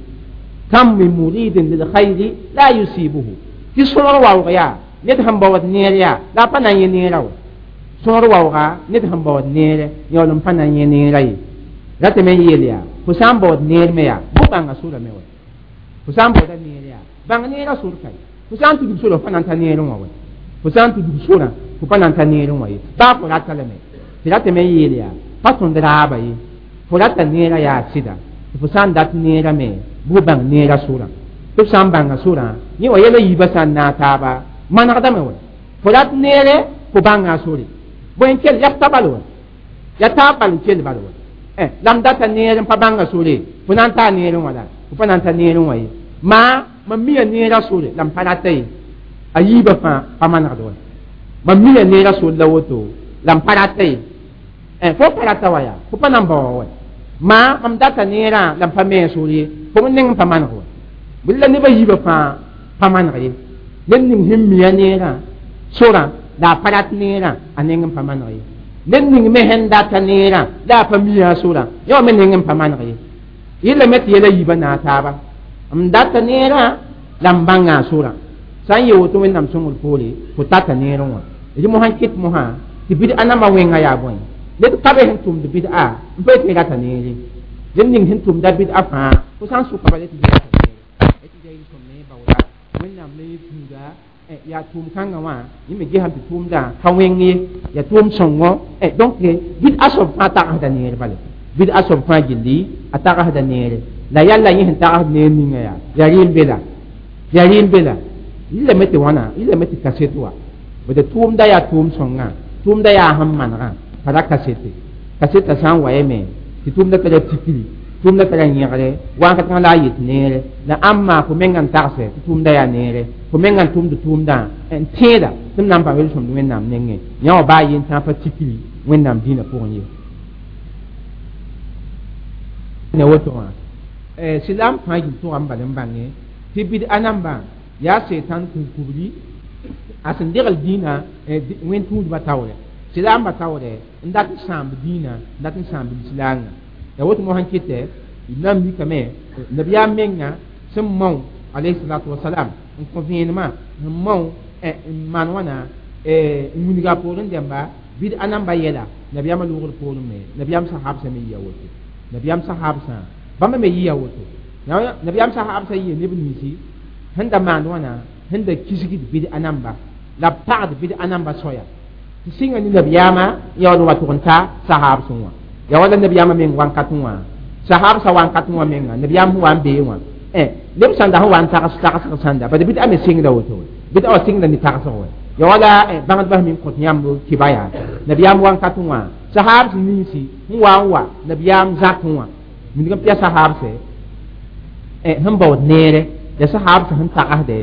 kam min muridin lilkhayri la yusibuhu tɩ sõor waoog yaa ned sẽn baood neer yaa la a pa na n yẽ neerã wɛ sõor waooga ned sẽn baood neere yaool n pa na n yẽ neerã ye ratame n yeel yaa fo sã n baood neer me yaa bʋ bãnga sora me wɛ fo sã n baooda neer yaa bãng neerã sor ka ye fo sã n tudg sora fo pa na n ta neerẽ wã wɛ fo sã n tudg sorã fo pa na n ta neerẽ wã ye baa fo rata lame Tɩ ratame n yeel yaa pa tõnd raaba ye fo rata neerã yaa sɩda tɩ fo sã n dat neerã me bɩ f bãng neerã sorã tɩ f sã n bãnga sorã yẽ wa yɛla yiibã sã n naag taaba manegdame wɛ fo rat neere fo bãnga a sore bõe n kell yaa ta bal wɛ yaa taab bal n kell bal wɛ la m data neer n pa bãnga sore fo na n taa neerẽ wã la fo pa na n ta neerẽ wã ye maa mam mia neerã sore la m pa rata ye a yiibã fãa pa manegd wɛ mam mia neerã sore la woto la m pa rata ye fo pa rata wa yaa fo pa na n baoa wɛ maa mam data neerã la m pa me a sore ye fo m neng n pa maneg wɛ bɩ la nebã yiibã fãa pa maneg ye ned ning sẽn mia neerã sorã la a pa rat neerã a neng n pa maneg ye ned ning me sẽn data neerã la a pa mia a sorã yã wã me neng n pa maneg ye yɩlame tɩ yɛla yiibã naag taaba m data neerã la m bãnga a sorã sã n yee woto wẽnnaam sõngr poore fo tata neerẽ wã rɩ mosã n kɩt mosã tɩ bɩd-a nambã wẽnga yaa bõe ned ka be sẽn tʋmd bɩd-a n pa yetɩ rata neere ned ning sẽn tʋmda bɩd-a fãa fo sã n sʋka bala tɩ rata neere tɩ ya yel-sõmne baooda wẽnnaam la yẽ gũuda yaa tʋʋm kãngã wã yẽ me gesame tɩ tʋʋmdã ka wẽng ye yaa tʋʋm sõngo donc bɩd-a soab fãa tagsda neer bale bɩd-a soab fãa gilli a tagsda neere la yalla yẽ sẽn tagsd neer ninga yaa yaa rɩɩm be la yaa rɩɩm be la yɩlame tɩ wãna yɩlame tɩ kaset wa bd tʋʋmda yaa tʋʋm sõngã tʋʋmda yaa sẽn manegã pa ra kasete kaseta sã n wa yame tɩ tʋʋmda tara tikri tʋʋmda tara yẽgre wãn-kãteng la a yet neere la ãmba fo menga n tagsɛ tɩ tʋʋmda yaa neere fo menga n tʋmd tʋʋmdã n tẽeda tɩ m na n paam yel-sõmd wẽnnaam nengẽ yã wã baa yen tãa pa tikri wẽnnaam dĩinã pʋgẽ ye ne woto wã silaam fãa gil tʋgame bal n bãnge tɩ bɩd-a nambã yaa setan kũn-kubri a sẽn degl dĩinã wẽn-tũudbã taoorɛ silaambã taoorɛ n dat n sãamb dĩinã n dat n sãamb lislaangã ya woto mosã n kɩtɛ d na n mikame nabiyaam menga sẽn mao alayhi salatu wasalam n kõ vẽenemã sẽn mao n maan wãna n wilga a poorẽ dẽmba bɩd-a namba yɛla nabiyaamã loogr poorẽ me nabiyaam sahabsã me yɩa woto nabiyaam sahabsã bãmba me yɩa woto nabiyaam sahabsã yɩa neb ninsi sẽn da maand wãna sẽn da kisgd bɩd-a namba la b pagd bɩd-a namba soaya tɩ sɩnga ne nabiyaamã yaool n wa tʋg n ta sahabsẽ wã ya wala nabiyaamã meng wãnkat wã sahabsã wãnkat wã menga nabiyaam sẽn wa n bee wã neb sãnda sẽn wa n tags tagsg sãnda bad bɩd-a me sɩngda woto bɩd-a wa sɩngda ne tagsg wɛ ya wala bãngdbã sẽn min kõt yãmb kɩba yaa nabiyaam wãnkat wã sahabs ninsi sẽn wa n wa nabiyaam zakẽ wã wilg n pɩa sahabsɛ sẽn baood neere ya sahabsã sẽn tagsdɛ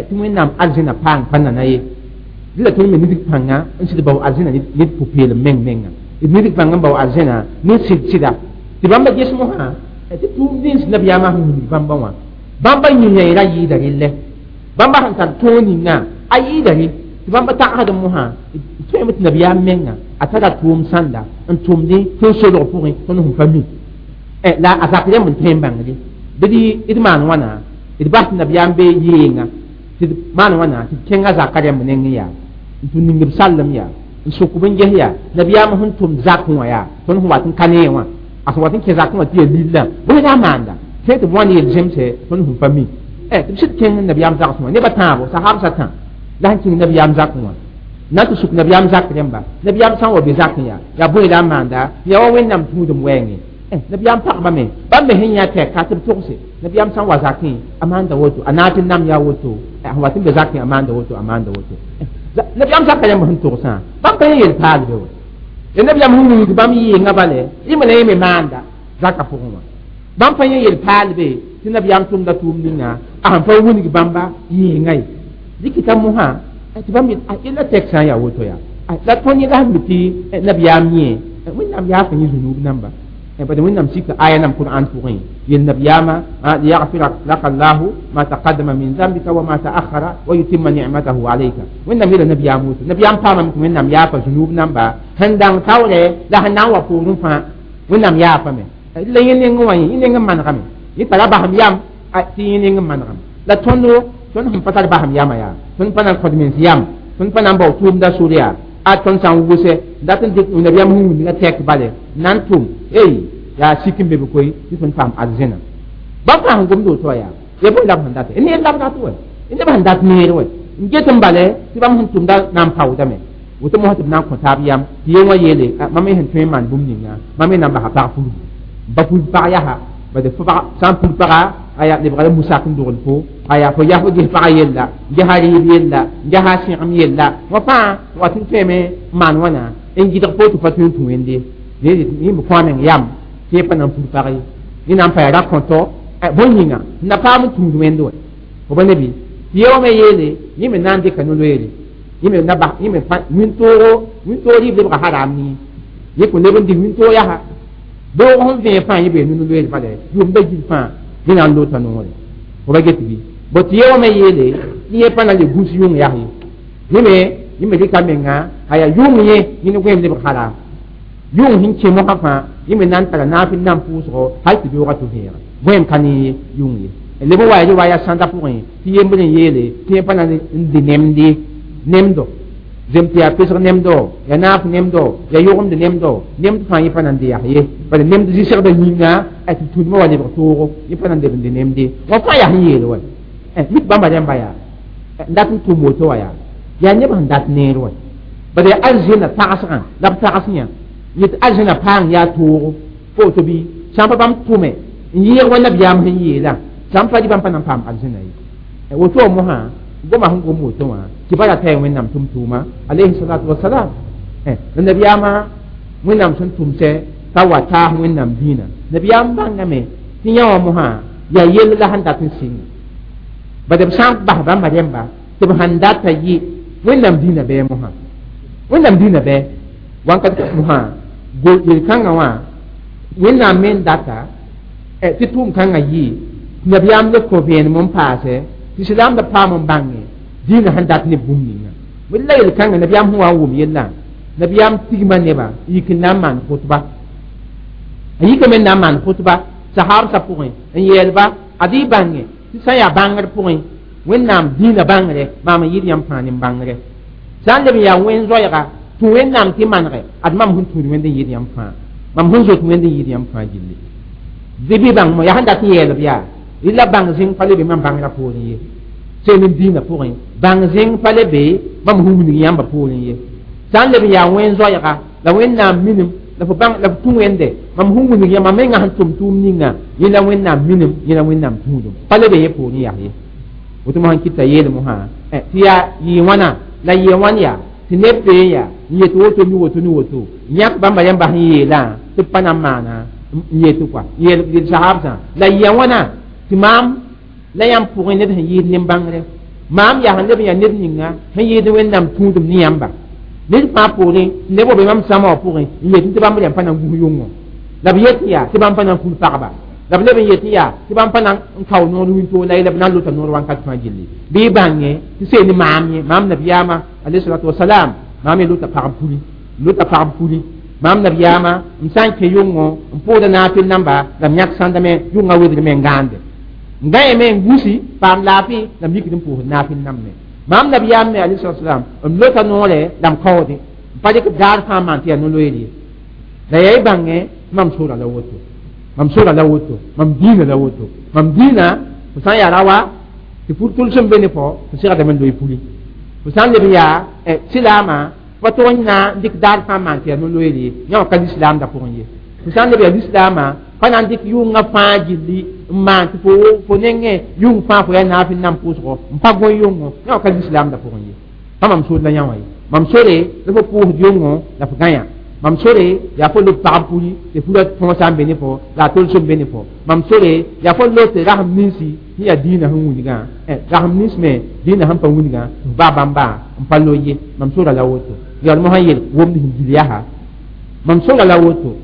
tɩ wẽnnaam arzẽna paang pa nana ye dɩla tõnd me nidg pãnga n sɩd bao arzẽna ned pʋ-peelem meng menga d nidg pãng n bao arzẽna ne sɩd sɩda tɩ bãmba ges mosã tɩ tʋʋm dĩns nabiyaamã sẽn wilg bãmba wã bãmba yĩngã ra yɩɩda relle bãmba sẽn tar tõog ninga a yɩɩda re tɩ bãmba tagsd mosã tõeme tɩ nabiyaam menga a tara tʋʋm sãnda n tʋmdẽ tõnd solg pʋgẽ tõnd sẽn pa mi la a zak rẽmb n tõe n bãngre bɩ d maan wãna d bas tɩ nabiyaam be yeenga tɩ d maan wãna tɩ d kẽnga zaka rẽmb nengẽ yaa n tʋ ning b sallem yaa n sʋk b n ges yaa nabiyaam sẽn tʋmd zakẽ wã yaa tõnd sẽn wat n ka nee wã a sẽn wat n kẽ zakẽ wã tɩ yaa lillã bõe la a maanda tɩ tɩ b wãn yel zemsɛ tõnd sẽn pa mi tɩ b sɩd kẽng nabiyaam zagsẽ wã nebã tãabo sahabsã tã la sẽn kẽng nabiyaam zakẽ wã na tɩ sʋk nabiyaam zak rẽmba nabiyaam sã n wa be zakẽ yaa yaa bõe la a maanda yaa wa wẽnnaam tũudem wɛɛngẽ nabiyaam pagba me bãmb me sẽn yã tɛka tɩ b togse nabiyaam sã n wa zakẽ a maanda woto a naag tɩ nam yaa woto sẽn wat n be zakẽ a maanda woto a maanda woto nabiyaam zaka rẽmb sẽn togsã bãmb pa yẽ yel paal be wa ya nabiyaam sẽn wilg bãmb yɩɩngã bale yẽ la yẽ me maanda zaka pʋgẽ wã bãmb pa yẽ yel paal be tɩ nabiyaam tʋmda tʋʋm ninga a sẽn pa wilg bãmba yɩɩngã ye dɩkɩta mosã tɩ bãmb yella tɛk sã n yaa woto yaa la tõnd yẽla sẽn be tɩ nabiyaam yẽ wẽnnaam yaafã yẽ zunub namba bad wẽnnaam sika aya nam qur'an pʋgẽ yel nabiyaamã liyaghfira laka allahu ma taqaddama min zambika wa ma ta'akhara wa yutimma ni'matahu alayka wẽnnaam yeela nabiyaam woto nabiyaam paamame tɩ wẽnnaam yaafa zunub namba sẽn dãng taoorɛ la sẽn na n wa poorẽ fãa wẽnnaam yaafame la yẽ nengẽ wã yẽ neng n manegame yẽ tara basem yam tɩ yẽ neng n manegame la tõndo tõnd sẽn pa tar basem yamã yaa tõnd pa na n kõd mens yam tõnd pa na n bao tʋʋmda sor yaa a tõnd sã n wʋsɛ dat n dɩk nabiyaam sẽn wilga tɛk bale na n tʋm ey yaa sik n be be koe tɩ tõnd paam arzẽna bãmb fãa sẽn gomd woto wã yaa ya bõe la b sẽn date neer la b dat wɛ neb sẽn dat neer wɛ n get n bale tɩ bãmb sẽn tʋmda na n paoodame Woto mosã tɩ b na n kõ taab yam tɩ ye wã yeele mam me sẽn tõe n maan bũmb ninga mam me na n basa pag puru ba pur pag yaa bad fo sã n pur paga aya lebga la musak n dogl fo aya fo yaa fo ges pagã yella n gesa rɩɩb yella n gesa sẽgem yella wã fãa wat n tõeme n maan wãna n gɩdg fo tɩ pa tõe n tũ wẽnde yẽ me kõ a meng yam tɩ yẽ pa na n pur pag ye yẽ na n pa yaa ra-kõtɔ bõe yĩnga n na paam n tũud wẽnde wɛ fo ba nebi tɩ ye wã me yeele yẽ me na n dɩka no-loeere yẽ me na bas yẽ me wĩntoogo wĩntoog rɩɩb lebga haram nie yẽ kõn leb n dɩk wĩntoog yaa beoog sẽn vẽeg fãa yẽ bee no-loeer bala yʋʋmda gil fãa yẽ na n loota noore fo ba get bɩ bõ tɩ ye wã me yeele tɩ yẽ pa na le gũs yʋng yaa ye yẽ me rɩka menga a yaa yʋng yẽ yẽ ne goeem lebg haram yʋng sẽn kẽ mosã fãa yẽ me na n tara naafɩl nan pʋʋsgo hal tɩ beoogã tɩ vẽega goeem ka ne yʋng ye leb n wa ya wa yaa sãnda pʋgẽ tɩ yembr n yeele tɩ yẽ pa na n dɩ nemde nemdo zem tɩ yaa pesg nemdo yaa naaf nemdo yaa yʋgemd nemdo nemd fãa yẽ pa na n dɩ yaa ye bala nemd zɩsegda yĩnga tɩ tũudmã wa lebg toogo yẽ pa na n leb n dɩ nemde wã fãa yaa sẽn yeel wa mit bãmba rẽmba yaa n dat n tʋm woto wã yaa yaa neb sẽn dat neer wa bala yaa arzẽna tagsgã la b tags yã yet arzẽna paang yaa toogo fo woto bɩ sã n pa bãmb tʋme n yɩɩg wa nabiyaam sẽn yeelã sã n pa rɩ bãmb pa na n paam arzẽna ye woto wã mosã goma sẽn gom woto wã tɩ ba ra taya wẽnnaam tʋm-tʋʋma alayhi salatu wasalam la nabiyaamã wẽnnaam sẽn tʋmsɛ t'a wa taas wẽnnaam dĩinã nabiyaam bãngame tɩ yã wã mosã yaa yell la sẽn dat n sɩnga bad b sã n bas bãmba rẽmba tɩ b sãn data yɩ wẽnnaam dĩinã bɩ mosã wẽnnaam dĩinã bɩ wãnkat mosã yel-kãngã wã wẽnnaam me n data tɩ tʋʋm-kãngã yɩ nabiyaam le kõ vẽenem n paase tɩ silaamda paam n bãnge dĩinã sẽn dat ne bũmb ninga la yel-kãngã nabiyaam sẽn wa n wʋm yellã nabiyaam tigma nebã n yik n na n maan khʋtba a yikame n na n maan khʋtba sahaabsã pʋgẽ n yeelba ad y bãnge tɩ sã n yaa bãngr pʋgẽ wẽnnaam dĩinã bãngre maam n yɩɩd yãmb fãa ne bãngre sã n leb n yaa wẽn-zoɛɛga tũ wẽnnaam tɩ manege ad mam sẽn tũud wẽnd n yɩɩd yãmb fãa mam sẽn zoet wẽnd n yɩɩd yãmb fãa gilli dɩ bɩ bãng mo yaa sẽn dat n yeelb yaa la bãng zĩng pa le be mam bãngrã poorẽ ye seen n dĩinã pʋgẽ bãng zĩng pa le be mam sẽn wilg yãmba poorẽ ye sã n leb n yaa wẽn-zoɛɛga la wẽnnaam minim la fo bãng la f tũ wẽnde mam sẽn wilg yã mam menga sẽn tʋm tʋʋm ninga yẽ la wẽnnaam minim yẽ la wẽnnaam tũudum pa le be yẽ poorẽ yaa ye woto mosã kɩta yeel mosã tɩ yaa yɩ wãna la yɩ wãn yaa tɩ neb pee yaa n yet woto ni woto ni woto yãk bãmba rẽmba sẽn yeelã tɩ b pa na n maana n yet kɔa yeel sahabsã la yɩ wãna tɩ maam la yãmb pʋgẽ ned sẽn yɩɩd nin-bãngre maam yaa sẽn leb n yaa ned ninga sẽn yɩɩd wẽnnaam tũudum ne yãmba ned fãa poorẽ neb wa be mam sãma wã pʋgẽ n yet tɩ bãmb rẽmb pa na n gus yʋngõ la b yet yaa tɩ bãmb pa na n ful pagba la b leb n yet yaa tɩ bãmb pa na n kao noor wĩntoog la b na n lota noor wãnkat fãa gilli bɩ y bãnge tɩ seen ne maam yẽ maam nabiyaamã alayhi salatu wasalam maam ye lota pagb puli lota pagb puli maam nabiyaamã m sã n kẽ yʋngõ n pʋʋda naafɩl namba la m yãk sãndame yʋngã wedgme n gãande n gãeme n gusi paam laafɩ la m yikd n pʋʋsd naafɩl nambe maam nabiyaam me alayhi salatu wasalam m lota noore la m kaoode n pa dɩk daar fãa maan tɩ yaa no-loeer ye la yaa y bãnge mam sora la woto mam sora la woto mam dĩinã la woto mam dĩinã fo sã n yaa rawa tɩ pur tʋlsem be ne fo fo segdame n loe puli fo sã n leb n yaa silaamã pa tog n na n dɩk daar fãa maan tɩ yaa no-loeer ye yã wã ka lislaamdã pʋgẽ ye fo sã n leb yaa lislaamã pa na n dɩk yʋngã fãa gilli n maan tɩ fo nengẽ yʋng fãa fo yaa naafɩl nan pʋʋsgo n pa gõe yʋngõ yã wã ka lislaamdã pʋgẽ ye pa mam sor la yã wã ye mam sore la fo pʋʋsd yʋngõ la fo gã yã mam sore yaa fo lob pagb puli tɩ pura tõosã n be ne fo la a tolsem be ne fo mam sore yaa fo lot rasem ninsi sẽn yaa dĩinã sẽn wilgã rasem nins me dĩinã sẽn pa wilgã tɩ f baa bãmba n pa lo ye mam sora la woto yaool mosã yel womd sẽn gil yaa mam sora la woto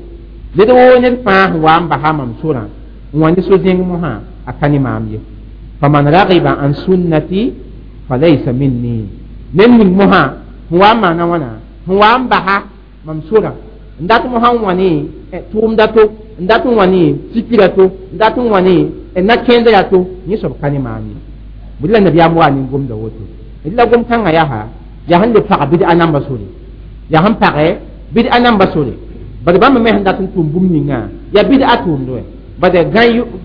ned woo ned fãa sẽn wa n basa mam sorã n wa ne so-zẽng mosã a ka ne maam ye faman ragiba an sunnati falaysa minni ned ning mosã sẽn wa n maana wãna sẽn wa n basa mam sora n dat mosã n wa ne tʋʋmda to n dat n wa ne sikira to n dat n wa ne na-kẽendra to yẽ soab ka ne maam ye bʋ la nabiyaam wa nin gomda woto d la gom-kãngã yaa yaa sẽn le pag bɩd a namba sore yaa sẽn pagɛ bɩd a namba sore bad bãmb me sẽn dat n tʋm bũmb ninga yaa bɩd a tʋʋmd wɛ bad gã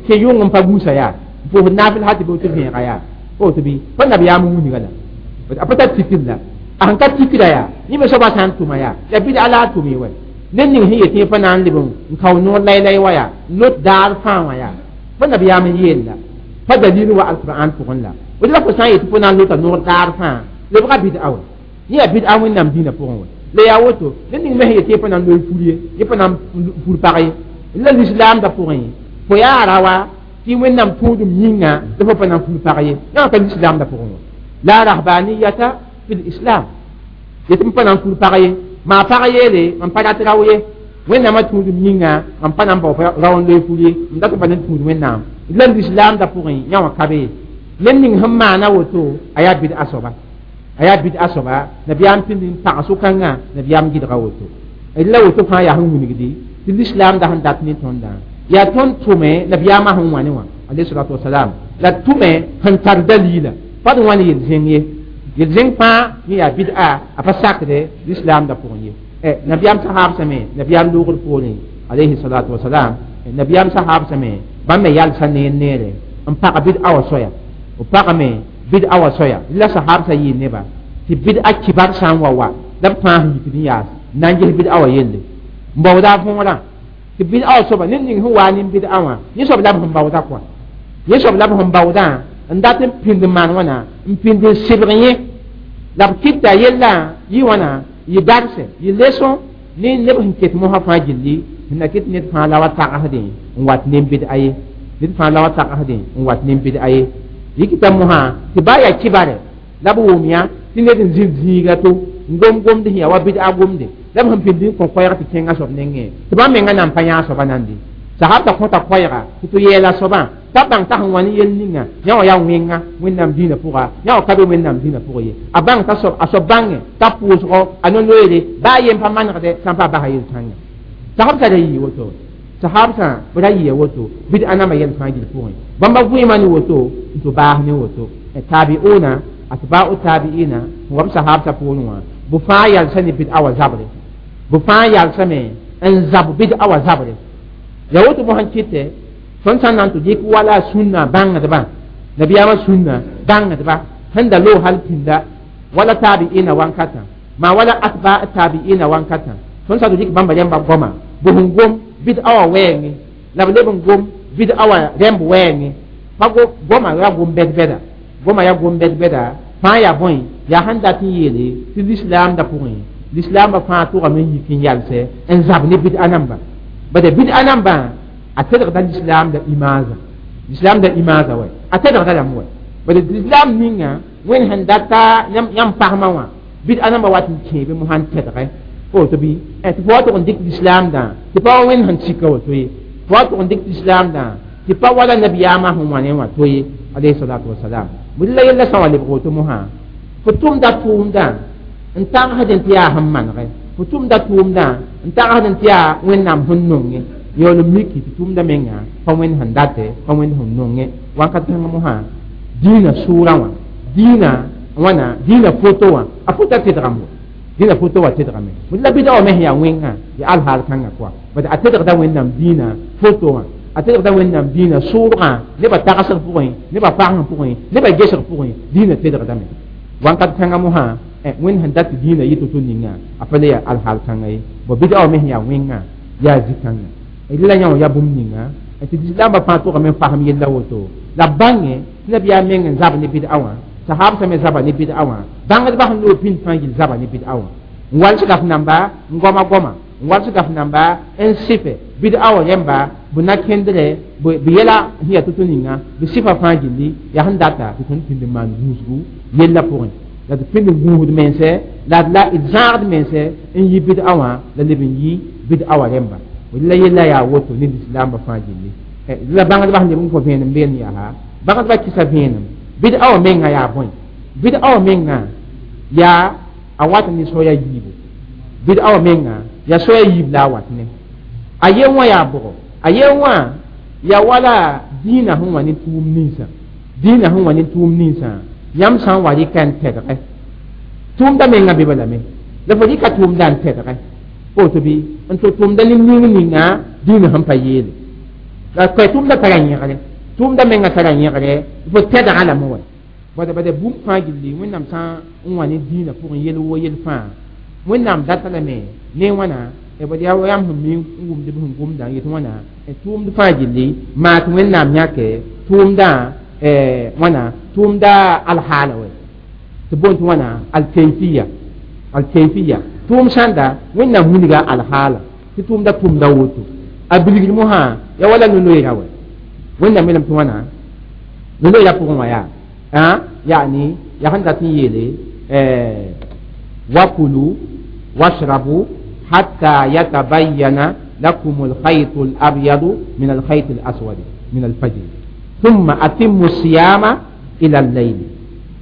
kẽ yʋng n pa gũusa yaa n pʋʋsd naafɩl hal tɩ be tɩ vẽega yaa woto bɩ pa nabiyaam n wilga la a pa tar tikr la A sẽn ka tikda yaa yẽ me soabã sã n tʋma yaa ya bɩd-a la a tʋm wɛ ned ning sẽn yet yẽ pa na n leb n kao noor laylay wa yaa lot daar fãa wã yaa pa nabiyaam n yeel la pa dalil wa alqur'an pʋgẽ la woto la fo sã n yet tɩ fo na n lota noor daar fãa lebga bɩd-a wɛ yẽ yaa bɩd-a wẽnnaam dĩinã pʋgẽ wɛ la yaa woto ned ning me sẽn yet yẽ pa na n loe fur ye yẽ pa na n fur pag ye la lislaamdã pʋgẽ fo yaa ra wa tɩ wẽnnaam tũudum yĩnga la fo pa na n fur pag ye yã ka lislaamdã pʋgẽ wã la rahbaniyata fi lislam yetɩ m pa na n fur pag ye maa pag yeele mam pa rat rao ye wẽnnaamã tũudum yĩnga mam pa na n bao rao n loe fur ye m dat n pa na n tũud wẽnnaam la lislaamdã pʋgẽ yã wã ka be ye ned ning sẽn maana woto a yaa bɩd-a soaba a yaa bɩd-a soaba nabiyaam pĩnd n pag sʋkãngã nabiyaam gɩdga woto la woto fãa yaa sẽn wilgdi tɩ lislaamdã sẽn dat ne tõndã yaa tõnd tʋme nabiyaamã sẽn wã ne wã alayhi salatu wasalam la tʋme sẽn tar dalila pa d wãn yel-zẽng ye yel-zẽng fãa yẽ yaa bɩd-a a pa sakde lislaamdã pʋgẽ ye nabiyaam sahaabsame nabiyaam loogr poorẽ alayhi salatu wasalam nabiyaam sahaabsame bãmb me yalsa neer neere n pag bɩd-a wã soaya b pagame bɩd-a wã soaya la sahaabsã yɩɩ neba tɩ bɩd-a kibar sã n wa wa la b fãa sẽn yikd n yaas n na n ges bɩd-a wã yelle n baooda a võorã tɩ bɩd-a wã soaba ned ning sẽn waa ne bɩd-a wã yẽ soab la b sẽn baooda kɔa yẽ soab la b sẽn baoodã n dat n pĩnd n maan wãna n pĩnd n sɩbg yẽ la b kɩta yellã yɩ wãna yɩ darse yɩ leso ne neb sẽn ket mosã fãa gilli sẽn na kɩt ned fãa la wa tagsdẽ n wat ne bɩd-a ye ned fãa la wa tagsdẽ n wat ne bɩd-a ye yikita mosã tɩ baa yaa kibare la b wʋm yã tɩ ned n zĩ zĩiga to n gom gomd sẽn yaa wa bɩd-a gomde la b sẽn pĩnd n kõ koɛɛg tɩ kẽngã soab nengẽ tɩ bãmb menga na n pa yãag soaba nandi sahabta kõta koɛɛga tɩ tɩ yɛɛla soabã t'a bãng t'a sẽn wa ne yel ninga yã wã yaa wẽnga wẽnnaam dĩinã pʋga yã wã ka be wẽnnaam dĩinã pʋgẽ ye a bãng t'a soab a soab bãnge t'a pʋʋsgɔ a no-loeere baa yen pa manegdɛ sã n pa basa yel-kãngã sahabsã ra yɩ woto sahabsã b ra yɩa woto bɩd-a nambã yɛl fãa gill pʋgẽ bãmba vẽema ne woto n tɩ baas ne woto tabi'una atba'u tabi'ina wa b sahabsã poorẽ wã bɩ fãa yalsa ne bɩd-a wã zabre bɩ fãa yalsame n zab bɩd-a wã zabre ya woto mosã kɩtɛ tõnd sã n na n tɩ dɩk wala sũnna bãngdbã nabiyaamã sũnna bãngdba sẽn da loog hal pĩnda wala tabi'ina wankatã maa wala atba tabi'ina wankatã tõnd sã tɩ dɩk bãmba rẽmba goama bɩ sẽn gom bɩd-a wã wɛɛngẽ la b leb n gom bɩd-a wã rẽmb wɛɛngẽ pa goma ya gom bɛd-bɛda goma ya gom bɛd-bɛda fãa yaa bõe yaa sẽn dat n yeele tɩ lislaamdã pʋgẽ lislaambã fãa tʋgame n yik n yalsɛ n zab ne bɩd-a namba bade bɩd-a nambã a tedgda lislaamda imaazã lislaamda imaazã wɛ a tedgda lame wɛ bade lislaam ninga wẽnd sẽn data yãmb pasmã wã bɩd-a nambã wat n kẽebe mosã n tedgɛ fo woto bɩ tɩ fo wa tʋg n dɩk lislaamdã tɩ pa wa wẽnd sẽn sika woto ye fo wa tʋg n dɩk lislaamdã tɩ pa wala nabiyaamã sẽn wã ne wã to ye alayhi salatu wasalam bʋ la yella sã wa lebg woto mosã fo tʋmda tʋʋmdã n tagsd tɩ yaa sẽn manegɛ fo tʋmda tʋʋmdã n tagsd tɩ yaa wẽnnaam sẽn nongẽ yaool n miki tɩ tʋʋmda menga pa wẽnd sẽn datɛ pa wẽnd sẽn nongẽ wakat kãngã mosã dĩinã sʋʋrã wã dĩinã wãna dĩinã foto wã a fota tedgame dĩinã foto wã tedgame la bɩda wã me sẽn yaa wẽngã ya alhaal kãngã kɔa bad a tedgda wẽnnaam dĩinã foto wã a tedgda wẽnnaam dĩinã sʋʋrgã nebã tagsg pʋgẽ nebã pasg pʋgẽ nebã gesg pʋgẽ dĩinã tedgdame wakat kãngã mosã wẽnd sẽn dat tɩ dĩinã yɩ to-to ninga a pa le yaa alhaal kãnga ye bõ bɩda wã me sẽn yaa wẽngã yaa zĩ-kãngã la yã wã yaa bũmb ninga tɩ lislaambã fãa tʋgame n fasem yella woto la b bãnge tɩ nabiyaam meng n zab ne bɩd-a wã sahabsã me zaba ne bɩd-a wã bãngdbã sẽn loog pĩnd fãa yil zaba ne bɩd-a wã n walsga f namba n goama goama n walsga f namba n sɩfɛ bɩd-a wã rẽmba bɩ na kẽndre bɩ yɛla sẽn yaa to-to ninga bɩ sɩfa fãa gilli yaa sẽn data tɩ tõnd pĩnd n maan gũusgu yella pʋgẽ la tɩ pĩnd n gũusd mensɛ la d la d zãagd mensɛ n yi bɩd-a wã la leb n yi bɩd-a wã rẽmba la yella yaa woto ne lislaambã fãa gilli la bãngdbã sẽn leb n kõ vẽenem been yaa bãngdbã kɩsa vẽenem bɩd-a wã menga yaa bõe bɩd-a wã menga yaa a wat ne soaya yiibu bɩd-a wã menga yaa soaya yiib la a wat ne a yen wã yaa bʋgɔ a yen wã yaa wala dĩinã sẽn wa ne tʋʋm ninsã dĩinã sẽn wa ne tʋʋm ninsã yãmb sã n wa rɩka n tɛdgɛ tʋʋmda menga be lame la fo rɩka tʋʋmda n tɛdgɛ woto bɩ n tɩ tʋʋmda ne ning ninga dĩinã sẽn pa yeele la koɛ tʋʋmda tara yẽgre tʋʋmda menga tara yẽgre fo tɛdga lame wa Bada bũmb fãa gilli Wẽnnaam sã n wa ne dĩinã pʋgẽ yel wo yel fãa Wẽnnaam data lame ne wãna bad yaa yãmb sẽn mi n wʋmd b sẽn gomdã n yet wãna tʋʋmd fãa gilli maa tɩ Wẽnnaam yãke tʋʋmdã wãna tʋʋmda alhaala wɛ tɩ boond tɩ wãna alkayfiya alkayfiya tʋʋm sãnda Wẽnnaam wilga alhaala tɩ tʋʋmda tʋmda woto a bilgr mosã ya wala no-loeera wɛ Wẽnnaam yeelame tɩ wãna no-loeera pʋgẽ wã yaa yani yaa sẽn dat n yeele wakulu washrabu hatta yatabayyana lakum alkhayt alabyad min alkhayt alaswad min alfajr thumma atimmu siyama ila al-layl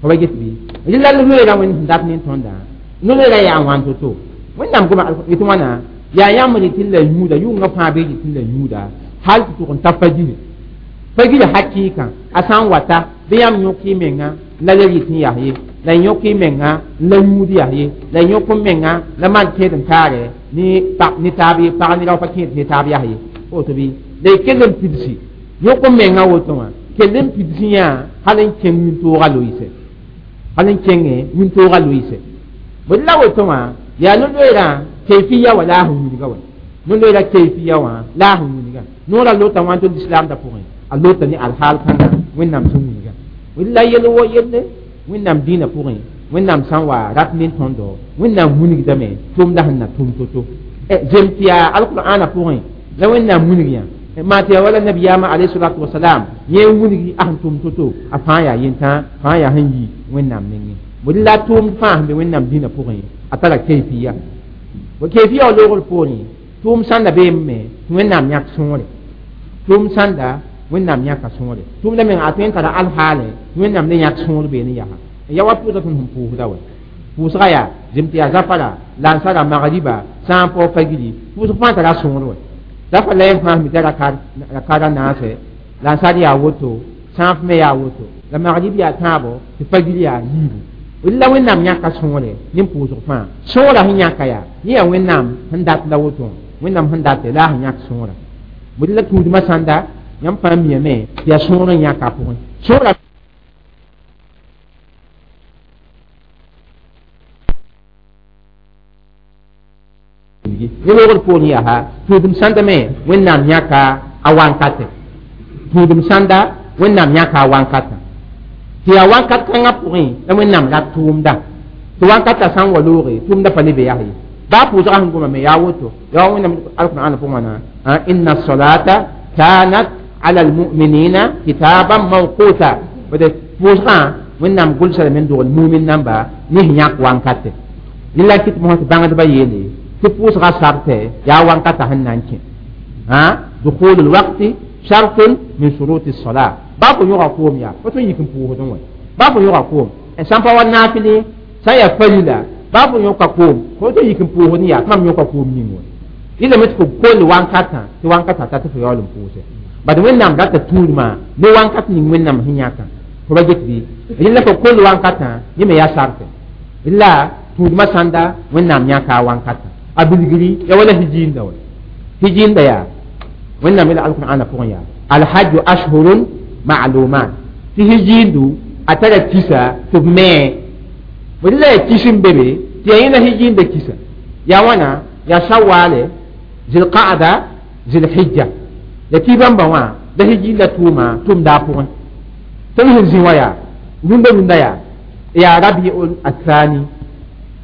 fa get bi illa al-loeera wẽnd sẽn dat ne tõndã no-loeera yaa wãn to-to Wẽnnaam goma yetɩ wãna yaa yãmb rɩ la yũuda yʋngã fãa bee rɩ la yũuda hal tɩ tʋg n ta fajiri fajiri hakɩɩkã a sã n wata bɩ yãmb yõk y menga la le rɩt n yas ye la yõk y menga la yũud yas ye la yõk n menga la maan kẽed n taare ne taab ye pag ne rao pa kẽed ne taab yas ye woto bɩ la y kell n pidsi yõk n menga woto wã kell n pidsi yã hal n kẽng wĩntoogã loɩse hal n kẽngẽ wĩntoogã loɩse bd la woto wã yaa no-loeerã kayfiya wa la a sẽn wilga wa no-loeerã kayfiya wã la a sẽn wilga noorã lota wã tõnd islamda pʋgẽ a lota ne alhaal kãnga Wẽnnaam sẽn wilga la yel wo yelle Wẽnnaam dĩinã pʋgẽ Wẽnnaam sã n wa rat ne tõndo Wẽnnaam wilgdame tʋmda sẽn na tʋm to-to zem tɩ yaa alqur'ana pʋgẽ la Wẽnnaam wilg yã maa tɩ yaa wala nabiyaamã alayhi salatu wasalam yẽ n wilgi a sẽn tʋm to-to a fãa yaa yentã fãa yaa sẽn yi Wẽnnaam nengẽ bd la tʋʋmd fãa sẽn be Wẽnnaam dĩinã pʋgẽ a tara kayfiya bo kayfiya wa loogr poorẽ tʋʋm sãnda beeme tɩ Wẽnnaam yãk sõore tʋʋm sãnda Wẽnnaam yãka sõore tʋʋmda meng a tõe n tara alhaale tɩ Wẽnnaam le yãk sõor beene yaa ya wa pʋʋsga tõnd sẽn pʋʋsda wɛ pʋʋsga yaa zem tɩ yaa zafara lansara magriba sã n paoog fagiri pʋʋsg fãa tara sõor wɛ zafar la yẽ fãa sẽn mita rakara naase lansar yaa woto sãaf me yaa woto la magrib yaa tãabo tɩ fagiri yaa yiibu la Wẽnnaam yãka sõore ne pʋʋsg fãa sõora sẽn yãka yaa yẽ yaa Wẽnnaam sẽn dat la woto Wẽnnaam sẽn date la a sẽn yãk sõora bd la tũudmã sãnda yãmb fãa miame tɩ yaa sõor n yãka a pʋgẽ sõora ne loogr poorẽ yaa tũudem sãnda me Wẽnnaam yãka a wankate tũudem sãnda Wẽnnaam yãka a wankatã tɩ yaa wankat kãngã pʋgẽ la Wẽnnaam rat tʋʋmda tɩ wankatã sã n wa looge tʋʋmda pa le be yas ye baa pʋʋsgã sẽn gomame yaa woto yaa Wẽnnaam alqur'an pʋgẽ wãna inna salata kanat ala almu'minina kitaban mawquta bd pʋʋsgã Wẽnnaam gʋlsa lame n dogl mumin namba ne sẽn yãk wankate rẽ la kɩt mosã tɩ bãngdbã yeele tɩ pʋʋsgã sartɛ yaa wankatã sẽn na n kẽ dukhul lwakti shartun min shuruti lsala baa fo yõga koom yaa fo tõe n yik n pʋʋsdẽ wã baa fo yõga koom sã n pa wa naafɩle sã n yaa farila baa fo yõka koom fo tõe n yik n pʋʋsdẽ yaa tɩ mam yõka koom ning wã rɩlame tɩ fo koll wankatã tɩ wankatã ta tɩ fo yaool n pʋʋse bad Wẽnnaam rata tũudmã ne wankat ning Wẽnnaam sẽn yãkã fo ba get bɩ rẽla fo koll wankatã yẽ me yaa sartɛ la tũudmã sãnda Wẽnnaam yãka a wankatã a bilgri ya wala hijiinda wa hijiinda yaa Wẽnnaam yeela alqur'ana pʋgẽ yaa alhajju ashhurun ma'lumat tɩ hijiindu a tara kisa tɩ b mee bd la yaa kis n be be tɩ yaa yẽla hijiinda kisa yaa wãna yaa shawaale zilqaada zilhijja la tɩ bãmba wã la hijiinda tʋʋma tʋmda a pʋgẽ tõnd sẽn zĩ wã yaa rũndã rũndã yaa rabiul athani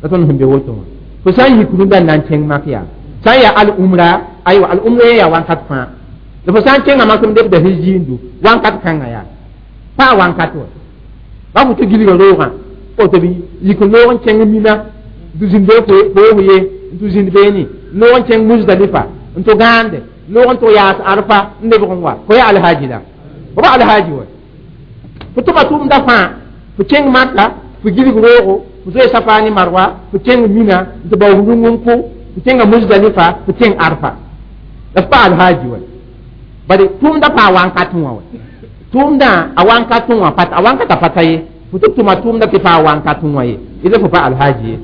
la tõnd sẽn be woto wã fo sã n yik rũndã n na n kẽng mak yaa sã n yaa al umra aywa al umra yẽ yaa wankat fãa la fo sã n kẽnga mak m lebda hijiindu wankat kãngã yaa pa wankat wa ba fo tɩ gilga roogã woto bɩ yik n loog n kẽng mina n tɩ zĩnd foog ye n tɩ zĩnd beene n loog n kẽng musdalifa n tɩ gãande loog n tɩ yaas arfa n lebg n wa fo yaa alhaji la fo ba alhaji wa fo tʋma tʋʋmda fãa fo kẽng maka fo gilg roogo fo zoe safa ne marwa fo kẽng mina n tɩ bao rũng n kʋ fo kẽnga musdalifa fo kẽng arfa la f pa alhaji wa bari tʋʋmda pa a wankat wã wa tʋʋmdã a wankat wã a wankata pata ye fo tɩ tʋma tʋʋmda tɩ pa a wankat wã ye ila fo pa alhaji ye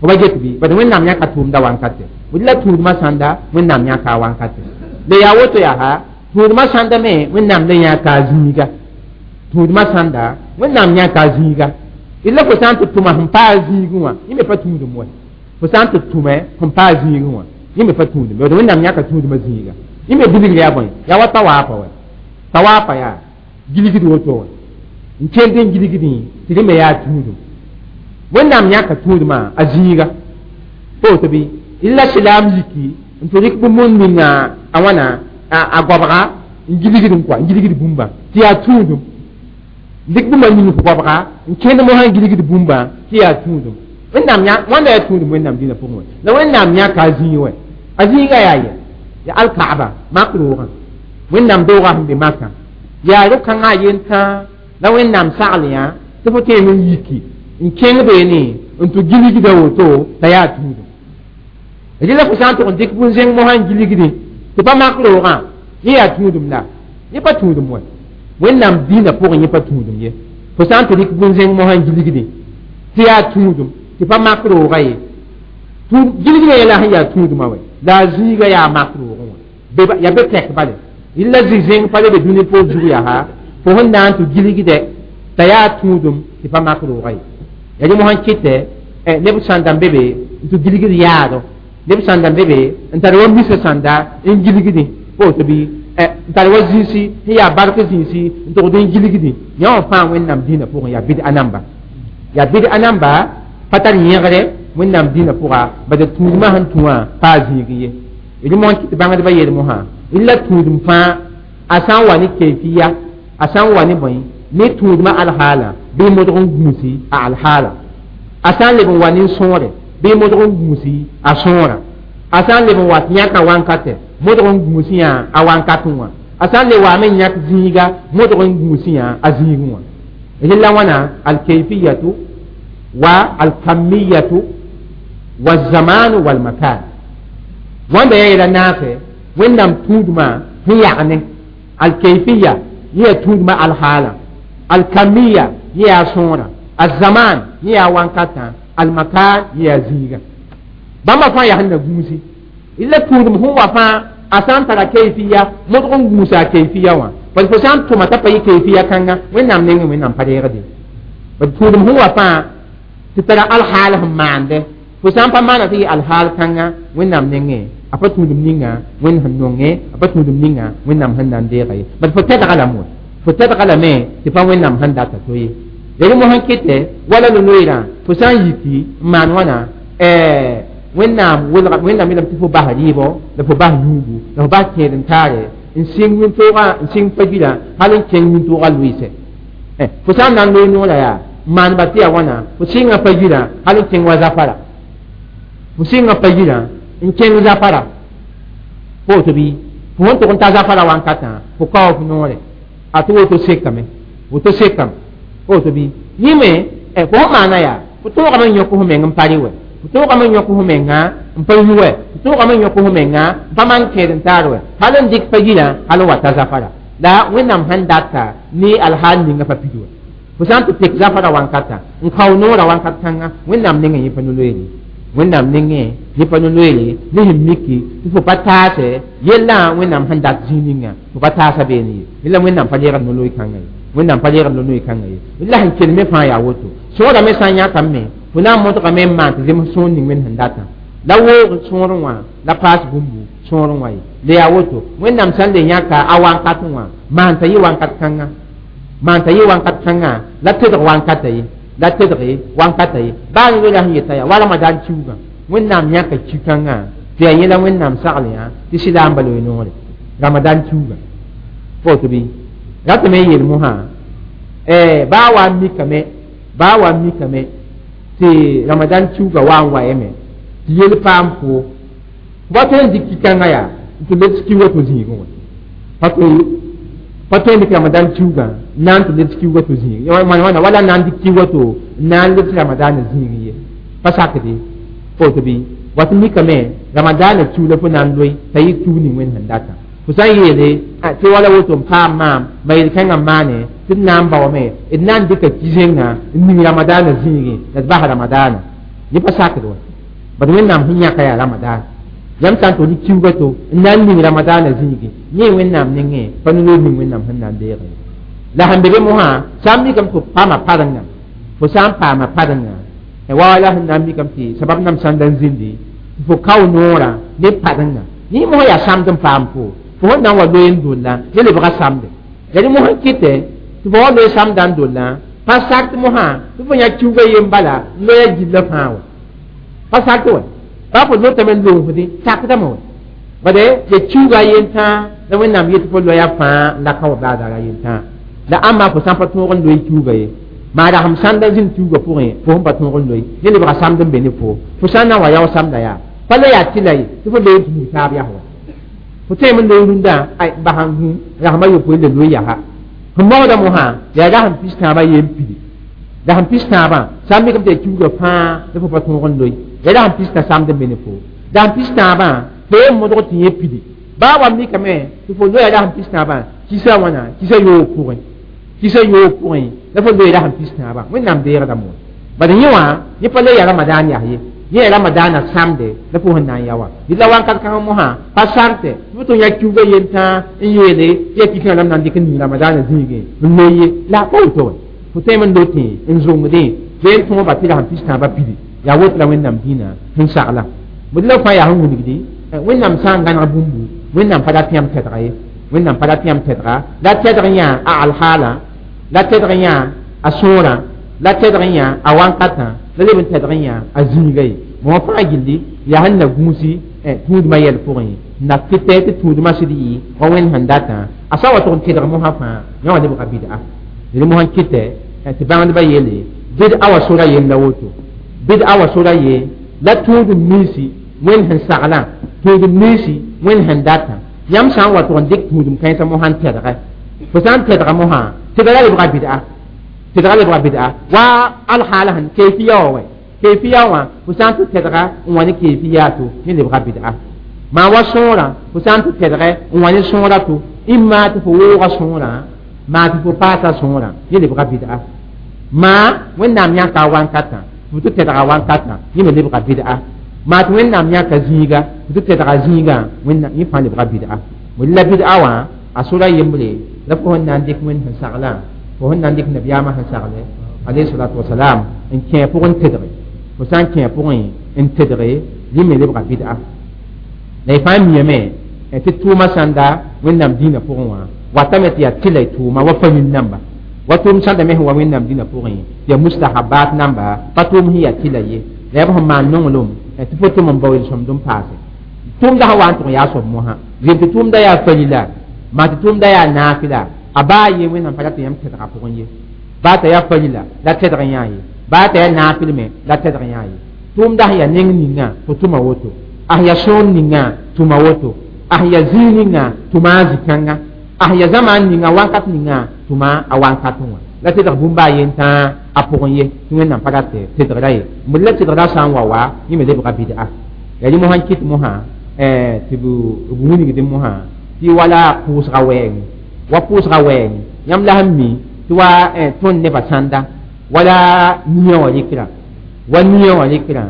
fo ba get bɩ bad Wẽnnaam yãka tʋʋmda wankate d la tũudmã sãnda Wẽnnaam yãka a wankate la yaa woto yaa tũudmã sãnda me Wẽnnaam le yãka a zĩiga Tũudmã sãnda Wẽnnaam yãka a zĩiga illa fo sã n tɩ tʋma sẽn paa a zĩigẽ wã yẽ me pa tũudum wa fo sã n tɩ tʋme sẽn paa a zĩigẽ wã yẽ me pa tũudum ye Wẽnnaam yãka tũudmã zĩiga yẽ me bilgr yaa bõe yaa wa tawaafa wa tawaafa yaa gilgd woto wã n kẽnd n gilgdẽ tɩ rẽ me yaa tũudum Wẽnnaam yãka tũudmã a zĩiga pa woto bɩ illa silaam yiki n tɩ rɩk bũmb ninga a wãna a goabga n gilgd n kɔa n gilgd bũmba tɩ yaa tũudum dɩk bũmba ning f goabga n kẽnd mosã n gilgd bũmba tɩ yaa tũudum Wẽnnaam yã wãnda yaa tũudum Wẽnnaam dĩnã pʋgẽ wã la Wẽnnaam yãka a zĩig wɛ a zĩiga yaa yɛ yaa alkaaba mak roogã Wẽnnaam doogã sẽn be makã yaa ro-kãngã a yen tãa la Wẽnnaam sagl yã tɩ fo tõeme n yiki n kẽng beene n tɩ gilgda woto t'a yaa tũudum rɩla fo sã n tʋg n dɩk bũn-zẽng mosã n gilgdẽ tɩ pa mak roogã yẽ yaa tũudum la yẽ pa tũudum wɛ Wẽnnaam dĩinã pʋgẽ yẽ pa tũudum ye fo sã n tɩ rɩk bũn-zẽng mosã n gilgdẽ tɩ yaa tũudum tɩ pa mak roogã ye gilgdã yɛla sẽn yaa tũudumã wɛ la a zĩiga yaa mak roogẽ wã yaa be tɛk bale illa zĩ-zẽng pa le be dũni poor zug yaa fo sẽn na n tɩ gilgdɛ t'a yaa tũudum tɩ pa mak roogã ye ya rẽ mosã kɩtɛ neb sãnda n be be n tɩ gilgd yaado neb sãnda n be be n tar wa misa sãnda n gilgdẽ pa woto bɩ n tar wa zĩisi sẽn yaa bark zĩisi n togd n gilgdẽ yã wã fãa Wẽnnaam dĩinã pʋgẽ yaa bɩd-a namba yaa bɩd-a namba pa tar yẽgre Wẽnnaam dĩinã pʋga bad tũudmã sẽn tũ wã pa a zĩig ye rẽ mosã kɩt bãngdbã yeel mosã illa tũudum fãa a sã n wa ne kayfiya a sã n wa ne bõe ne tũudmã alhaala bɩ modg n gũusi a alhaala a sã n leb n wa ne sõore bɩ modg n gũusi a sõora a sã n leb n wa tɩ yãka wankatɛ modg n gũusi yã a wankatẽ wã a sã n le waame n yãk zĩiga modg n gũusi yã a zĩigẽ wã rella wãna alkayfiyatu wa alkamiyatu wa zamanu walmakan wãnda yaa yɛla naasɛ Wẽnnaam tũudmã sẽn yagne alkayfiya yẽ yaa tũudmã alhaala alkamiya yẽ yaa sõora alzaman yẽ yaa wankatã almakan yẽ yaa zĩiga bãmba fãa yaa sẽn na gũusi illa tũudum sẽn wa fãa a sã n tara kayfiya modg n gũusa a kayfiya wã bad fo sã n tʋma t'a pa yɩ kayfiya kãnga Wẽnnaam nengẽ Wẽnnaam pa reegde bad tũudum sẽn wa fãa tɩ tara alhaal sẽn maande fo sã n pa maana tɩ yɩ alhaal kãnga Wẽnnaam nengẽ a pa tũudum ninga Wẽnd sẽn nonge a pa tũudum ninga Wẽnnaam sẽn na n deega ye bad fo tɛdga lame wa fo tɛdga lame tɩ pa Wẽnnaam sẽn data to ye rẽ mosã kɩtɛ wala no-loeerã fo sã n yiki n maan wãna Wẽnnaam welga Wẽnnaam yeelame tɩ fo bas rɩɩbɔ la fo bas yũugu la fo bas kẽed n taare n sɩng wĩntoogã n sɩng pa-gilã hal n kẽng wĩntoogã loɩsɛ fo sã n na n loe noorã yaa n maanba tɩ yaa wãna fo sɩnga pa-gilã hal n kẽng wa zafara fo sɩnga pa-gilã n kẽng zafara pa woto bɩ fo sẽn tʋg n ta zafara wankatã fo kao f noore a tɩ woto sekame woto sekame pa woto bɩ yẽ me fo sẽn maana yaa fo tõogame n yõk f meng n pa rɩ wɛ fo tõogame n yõk f menga n pa yu wɛ fo tõogame n yõk f menga n pa maan kẽed n taar wɛ hal n dɩk pa-gilã hal n wa ta zafara la Wẽnnaam sẽn data ne alhaal ninga pa pid wɛ fo sã n tɩ tek zafara wankata n kao noorã wankat kãnga Wẽnnaam nengẽ yẽ pa no-loeere Wẽnnaam nengẽ yẽ pa no-loeere ne sẽn miki tɩ fo pa taasɛ yellã Wẽnnaam sẽn dat zĩig ninga fo pa taasa beene ye rela Wẽnnaam pa leegd no-loe kãnga ye Wẽnnaam pa leegd no-loe kãnga ye la sẽn kelme fãa yaa woto sõorame sã n yãkame fo na n modgame n maan tɩ zems sõor ning Wẽnd sẽn datã la woog sõorẽ wã la paas bũmbu sõorẽ wã ye la yaa woto Wẽnnaam sã n le yãka a wankatẽ wã maan t'a yɩ wankat kãnga maan t'a yɩ wankat kãnga la tedg wankata ye la tedge wankata ye baa ne la sẽn yeta yaa wa Ramadan kiuugã Wẽnnaam yãka ki-kãngã tɩ yaa yẽla Wẽnnaam sagl yã tɩ sɩlaamba loe noore Ramadan kiuugã pa woto bɩ ratame n yeel mosã baa wa n mikame baa wa n mikame tɩ Ramadan kiuugã wa n wayame tɩ yel paam fo pa tõe n dɩk ki-kãngã yaa n tɩ lebs ki wato zĩigẽ wã pa tõe n dɩk Ramadan kiuugã n na n tɩ lebs ki wato zĩig wãna wala n na n dɩk ki wato n na n lebs Ramadaanã zĩig ye pa sakde pa woto bɩ wat mikame Ramadaanã kiu la fo na n loe t'a yɩ kiu ning Wẽnd sẽn data fo sã n yeele tɩ wala woto n paam maam ma yel-kãngã maane tɩ d na n baoome d na n dɩka ki-zẽngã n ning Ramadaanã zĩigẽ la d bas Ramadaanã yẽ pa sakd wa bad Wẽnnaam sẽn yãka yaa Ramadan yãmb sã n tʋg dɩk kiuugã to n na n ning Ramadaanã zĩigẽ yẽ Wẽnnaam nengẽ pa no-loor ning Wẽnnaam sẽn na n deege La sẽn be be mosã sã n mikame tɩ fo paama parenga, fo sã n paama parenga wa la sẽn na n mikame tɩ sabab nam sãnda n zĩndi tɩ fo kao noorã ne parenga yẽ mosã yaa samd n paam fo fo sẽn na n wa loe n dolla ne lebga samde la rẽ mosã n kɩtɛ tɩ fo wa loe samda n dollã pa sak mosã tɩ fo yã kiuga yen bala n loya gilla fãa wa pa sak wa pa fo lotame n loosdẽ sakdame wa bade ya kiuga yen tãa la Wẽnnaam yet fo loya fãa la ka wa baadaara yen tãa la ãmba fo sã n pa tõog n loe kiuga ye maa rasem sãnda zĩnd kiuga pʋgẽ fo sẽn pa tõog n loe ne lebga samd n be ne fo fo sã n na n wa yao samda yaa pa la yaa tɩ la ye tɩ fo loe gũus taab yaa wa fo tõeme n loe rũndã ay basã n gũ rasma yopoe la loe yaa sẽn mogda mosã yaa rasem pis tãabã yen pidi rasem pis tãabã sã n mikame tɩ yaa kiuga fãa la fo pa tõog n loe ya rasem pis tã samd n be ne fo rasem pis tãabã fo yen modg tɩ yẽ pidi baa wa mikame tɩ fo loya rasem pis tãabã kisa wãna kisa yoog pʋgẽ kisa yoog pʋgẽ la fo loe rasem pis tãabã Wẽnnaam deegda mo bad yẽ wã yẽ pa le ya ramadaan yaa ye yẽ ya ramadaanã samde la fo sẽn na n ya wa la wãnkat kãng mosã pa sartɛ tɩ fo tɩ yã kiuga yen tãa n yeele tɩ ya kikã lam na n dɩk n ning ramadaanã zĩigẽ n loe ye la a pa woto wa fo tõeme n lotẽ n zongdẽ bee n tõoba tɩ rasem pis tãabã pidi yaa woto la Wẽnnaam dĩinã sẽn sagla bd la fãa yaa sẽn wilgdi Wẽnnaam sã n gãneg bũmbu Wẽnnaam pa rat yãmb tɛdga ye Wẽnnaam pa rat yãmb tɛdga la tɛdg yã a alhaala la tɛdg yã a sõorã la tɛdg yã a wãnkatã la leb n tɛdg yã a zĩiga ye mõ fãa gilli yaa sẽn na gũusi tũudmã yɛl pʋgẽ na kɩtɛ tɩ tũudmã sɩd yɩ wa Wẽnd sẽn datã a sã wa tʋg n tɩdg mosã fãa yã wã lebga bɩd'a rẽ mosã kɩtɛ tɩ bãngdbã yeele bɩd'a wa sora yen la woto bɩd'a wa sora ye la tũudum ninsi Wẽnd sẽn saglã tũudum ninsi Wẽnd sẽn datã yãmb sã n wa tʋg n dɩk tũudum kãensã mosã n tɛdgɛ fo sã n tɛdga mosã tɩdga lebga bɩd'a tɩdga lebga bɩd'a wa alhaala sẽn kayfiya wa wɛ kayfiya wã fo sã n tɩ tɛdga n wa ne kayfiya to yẽ lebga bɩd'a maa wa sõorã fo sã n tɩ tɛdgɛ n wa ne sõora to ĩmma tɩ fo wooga sõorã maa tɩ fo paasa sõorã yẽ lebga bɩd'a maa Wẽnnaam yãka a wãnkatã fo tɩ tɛdga wãnkatã yẽ me lebga bɩd'a maa tɩ Wẽnnaam yãka zĩiga fo tɩ tɛdga zĩigã Wẽnnaam yẽ fãa lebga bɩd'a la bɩd'a wã a sora yembre la fo sẽn na n dɩk Wẽnd sẽn saglã fo sẽn na n dɩk nabiyaamã sẽn sagle alayhi salatu wasalam n kẽ pʋgẽ n tedge fo sã n kẽ pʋgẽ n tedge rẽ me lebga bɩd'a la y fãa miame tɩ tʋʋmã sãnda Wẽnnaam dĩinã pʋgẽ wã watame tɩ yaa tɩla y tʋʋma wa fa nin namba wa tʋʋm sãnda me sẽn wa Wẽnnaam dĩinã pʋgẽ tɩ yaa mustahabat namba pa tʋʋm sẽn yaa tɩla ye la yaa b sẽn maan nonglem tɩ fo tʋm n bao yel-sõmd n paase tʋʋmda sã wa n tʋg yaa soab mosã zem tɩ tʋʋmda yaa falila maa tɩ tʋʋmda yaa naafɩla a baa ye Wẽnnaam pa rat yãmb tɛdga pʋgẽ ye baa t'a yaa falila la tɛdg yã ye baa t'a yaa naafɩl me la tɛdg yã ye tʋʋmda sẽn yaa neng ninga fo tʋma woto a sẽn yaa sõor ninga tʋma woto a sẽn yaa zĩig ninga tʋma a zĩ-kãnga a sẽn yaa zamaan ninga wãnkat ninga tʋma a wãnkatẽ wã la tɛdg bũmba a yen tãa a pʋgẽ ye tɩ Wẽnnaam pa rat tɛdgra ye b la tɛdgra sã n wa wa yẽ me lebga bɩd'a yaa rẽ mosã n kɩt mosã tɩ b wilgdẽ mosã tɩ wala pʋʋsga wɛɛngẽ wa pʋʋsga wɛɛngẽ yãmb la sẽn mi tɩ wa tõnd nebã sãnda wala nia wã rɩkra wa nia wã rɩkrã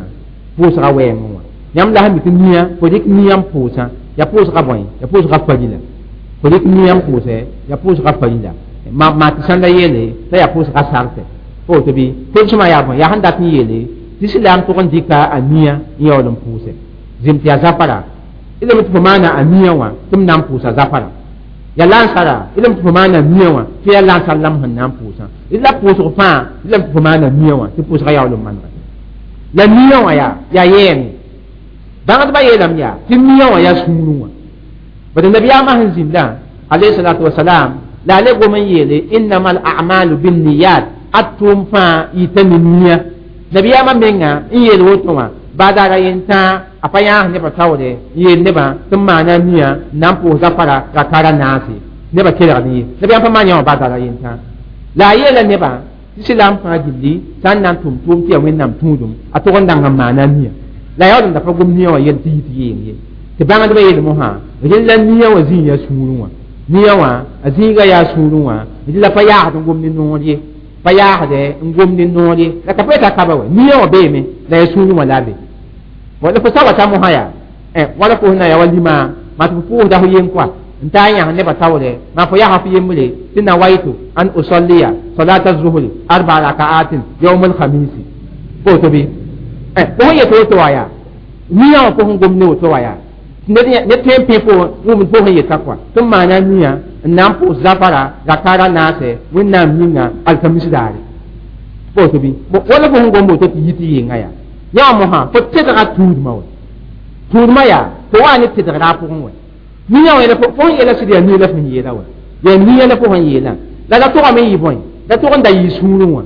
pʋʋsga wɛɛngẽ wã yãmb la sẽn mi tɩ nia fo rɩk nia n pʋʋsã yaa pʋʋsga bõe yaa pʋʋsga farila fo rɩk nia n pʋʋsɛ yaa pʋʋsga farila maa tɩ sãnda yeele t'a yaa pʋʋsga sartɛ fo woto bɩ tʋlsmã yaa bõe yaa sẽn dat n yeele tɩ silaam tʋg n dɩka a nia n yaool n pʋʋsɛ zem tɩ yaa zafara ilem tɩ fo maana a nia wã tɩ m na n pʋʋsa zafara ya lansara ilem tɩ fo maana nia wã tɩ yaa lansar lam sẽn na n pʋʋsã la pʋʋsg fãa ilem tɩ fo maana nia wã tɩ pʋʋsga yaool n manega la nia wã yaa yaa yɛɛme bãngdbã yeelame yaa tɩ nia wã yaa sũurẽ wã bad nabiyaamã sẽn zĩndã alayhi salatu wasalam la a le gom n yeele innama al a'malu binniyat a tʋʋm fãa yita ne nia nabiyaamã menga n yeel woto wã baadaara yen tãa a pa yãas nebã taoore n yeel nebã tɩ n maana nia n na n pʋʋs zafara rakara naase nebã kelgd ye nabiyaam pa maan yã wã baadaara yen tãa la a yeela nebã tɩ silaam fãa gilli sã n na n tʋm tʋʋm tɩ yaa Wẽnnaam tũudum a tʋg n dang n maana nia la yaool n da pa gom nia wã yel tɩ yit yeeng ye tɩ bãngdbã yeel mosã rẽ la nia wã zĩig yaa sũurẽ wã nia wã a zĩiga yaa sũurẽ wã rẽ la pa yaasd n gom ne noor ye pa yaasdɛ n gom ne noor ye la ka pa yeta kaba wa nia wã beeme la yaa sũurẽ wã la a be la fo sa wa ta mosã yaa wala fo sẽn na yaa wa lima maa tɩ fo pʋʋsda fo yen koa N taa n yãs nebã taoore maa fo yaa fo yembre tɩ nawaitu an usalliya salata zuhri arba rakaatin yawm alkhamisi woto bɩ fo sẽn yet woto wã yaa nia wã fo sẽn gom ne woto wã yaa ne tõe n pẽ fo wʋmd fo sẽn yeta kɔa tɩ n maana nia n na n pʋʋs zafara rakara naasɛ wẽnnaam yĩnga alkamis daare woto bɩ wala fo sẽn gom woto tɩ yi tɩ yenga yaa yã wã mosã fo tedga tũudmã wɛ tũudmã yaa fo wa ne tedgra a pʋgẽ wɛ nia wã fo sẽn yeela sɩd yaa nia la fo sẽn yeela wɛ yaa nia la fo sẽn yeelã la la togame n yɩ bõe la tog n da yɩ sũurẽ wã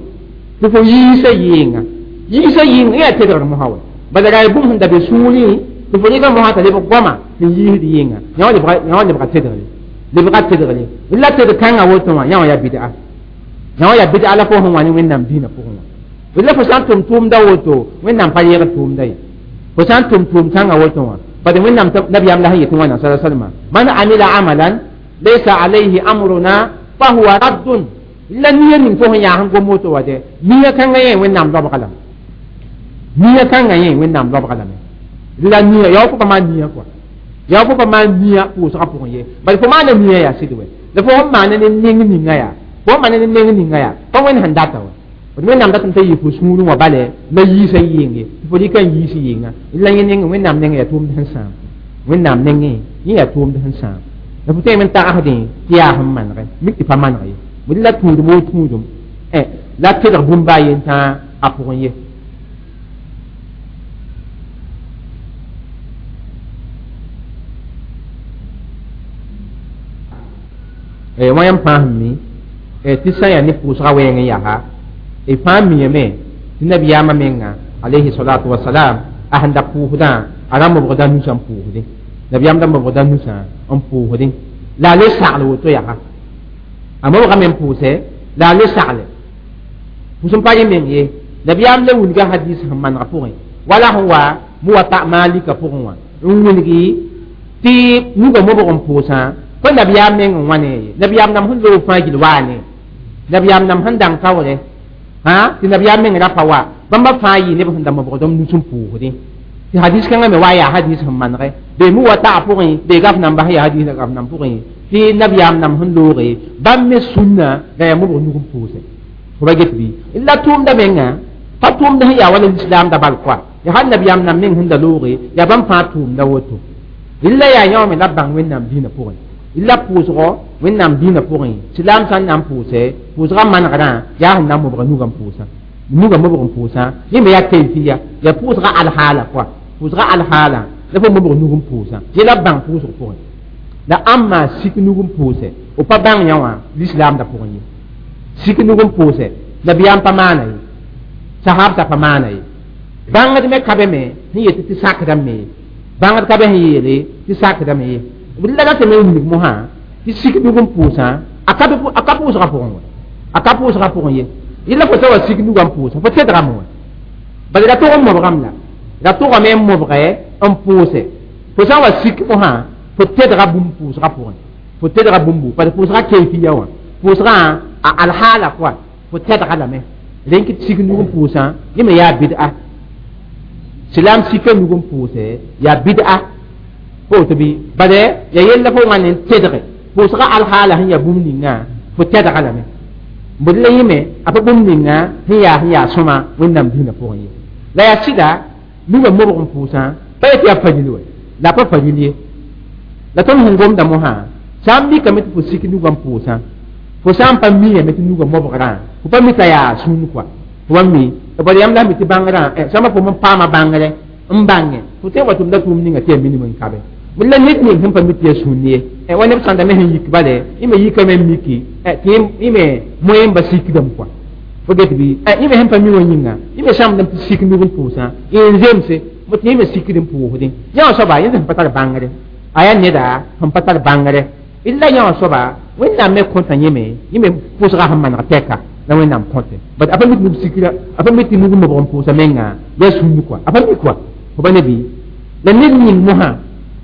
tɩ fo yiisa yeenga yiisa yĩnga yaa tedgr mosã wɛ bala ra yaa bũmb sẽn da be sũurẽ tɩ fo rɩka mosã t'a lebg goama sẽn yiisd yɩnga yã wã lebga tedgre lebga tedgre la tedg kãngã woto wã yã wã yaa bid'a yã wã yaa bid'a la fo sẽn wa ne wẽnnaam dĩinã pʋgẽ wã la fo sã n tʋm tʋʋmda woto wẽnnaam pa yɛgd tʋʋmda ye fo sã n tʋm tʋʋm kãngã woto wã bad wẽnnaam nabiyaam la sẽn yetɩ wãna sala salma man amila amalan laysa alayhi amruna fahuwa raddun la nia ning fo sẽn yaa sẽn gom woto wa dɛ nia kãngã yẽ wẽnnaam lobga lame nia kãngã yẽ wẽnnaam lobga lame la nia yaa fo pa maan nia kɔa yaa fo pa maan nia pʋʋsgã pʋgẽ ye bad fo maana nia yaa sɩd wɛ la fo sẽn maana ne neng ninga yaa fo sẽn maana ne neng ninga yaa pa wẽnd sẽn data wɛ wẽnnaam datame t'a yɩ fo sũurẽ wã bale la yiisa yɩɩnge tɩ fo rɩka n yiis yɩɩnga la yẽ nengẽ wẽnnaam nengẽ yaa tʋʋmd sẽn sãam wẽnnaam nengẽ yẽ yaa tʋʋmd sẽn sãam la fo tõeme n tagsdẽ tɩ yaa sẽn manegɛ mik tɩ pa maneg ye bd la tũudum woo tũudum la tedg bũmb baa yen tãa a pʋgẽ ye wã yãmb fãa sẽn mi tɩ sã yaa ne pʋʋsga wɛɛng n yaa e fãa miame tɩ nabiyaamã menga alayhi salatu wasalam a sẽn da pʋʋsdã a ra mobgda nusã n pʋʋsdẽ nabiyaam da mobgda nusã n pʋʋsdẽ la a le sagl woto yaa a mobgame n pʋʋsɛ la a le sagle pʋʋs n pa yẽ meng ye nabiyaam le wilga hadis sẽn manega pʋgẽ wala sẽn wa muwata malika pʋgẽ wã n wilgi tɩ nugã mobg n pʋʋsã fo nabiyaam meng n wãne ye nabiyaam nam sẽn loog fãa gill waane nabiyaam nam sẽn dãng taoore ha tɩ nabiyaam meng ra pa wa bãmba fãa yɩ neb sẽn da mobgdm nus n pʋʋsdẽ tɩ hadis kãngã me wa yaa hadis sẽn manegɛ bee muwata pʋgẽ bee gaf namba sẽn yaa hadis gaf nam pʋgẽ tɩ nabiyaam nam sẽn looge bãmb me sũnna la yaa mobg nug n pʋʋsɛ fo ba get bɩ la tʋʋmda menga pa tʋʋmd sẽn yaa wala lislaamda bal koa ya hal nabiyaam nam meng sẽn da looge yaa bãmb fãa tʋʋmda woto illa yaa yã wã me la bãng wẽnnaam dĩinã pʋgẽ la pʋʋsgɔ wẽnnaam dĩinã pʋgẽ silaam sã n na n pʋʋsɛ pʋʋsgã manegrã yaa sẽn na n mobga nugã n pʋʋsã nugã mobg n pʋʋsã yẽ me yaa kayfiya yaa pʋʋsgã alhaala koa pʋʋsgã alhaala la fo mobg nug n pʋʋsã yẽ la bãng pʋʋsg pʋgẽ la ãmb sik nug n pʋʋsɛ f pa bãng yã wã lislaamda pʋgẽ ye sik nug n pʋʋsɛ nabiyaam pa maana ye sahabta pa maana ye bãngd me ka be me sẽn yetɩ tɩ sakdame ye bãngd ka be sẽn yeele tɩ sakdame ye la ratame n wilg mosã tɩ sik nug n pʋʋsã a ka pʋʋsgã pʋgẽ wɛ a ka pʋʋsgã pʋgẽ ye yẽla fo sa wa sik nugã n pʋʋsã fo tedgame wɛ bala ra tog n mobgame la ra togame n mobgɛ n pʋʋsɛ fo sã n wa sik mosã fo tedga bũmb pʋʋsgã pʋgẽ fo tedga bũmbu parce pʋʋsgã kayfiya wã pʋʋsgã a alhaala pʋa fo tedga lame rẽn tɩ sik nug n pʋʋsã yẽ me yaa bid'a silaam sika nug n pʋʋsɛ yaa bid'a fo tɩ bɩ bala ya yella fo wãn n tedge pʋʋsgã alhaala sẽn yaa bũmb ninga fo tedga lame bd la yẽme a pa bũmb ninga sẽn yaa sõma wẽnnaam dĩinã pʋgẽ ye la yaa sɩda nugã mobg n pʋʋsã pa yetɩ yaa fajil wɛ la a pa fajil ye la tõnd sẽn gomda mosã sã n mikame tɩ fo sik nugã n pʋʋsã fo sã n pa miame tɩ nugã mobgrã fo pa mi t'a yaa sũn kɔa fo pa mi bala yãmb la mi tɩ bãngrã sõma fo n paama bãngre n bãnge fo tõe n wa tʋmda tʋʋm ninga tɩ yaa minim n kabe la ned ning sẽn pa mi tɩ yaa sũn ye wa neb sãnda me sẽn yik bale yẽ me yikame n miki tɩ yẽ me moẽmba sikdame kɔa fo get bɩ yẽ me sẽn pa mi wã yĩnga yẽ me sãmdame tɩ sik nug n pʋʋsã n zemse tɩ yẽ me sikd n pʋʋsdẽ yã wã soaba yẽ sẽn pa tar bãngre a yaa neda sẽn pa tar bãngre illa yã wã soaba wẽnnaam me kõta yẽme yẽ me pʋʋsgã sẽn maneg tɛka la wẽnnaam kõte bat a pa mi tɩ nug sikra a pa mi tɩ nug mobg n pʋʋsa menga yaa sũnd kɔa a pa mi kɔa fo pa ne bɩ la ned ning mosã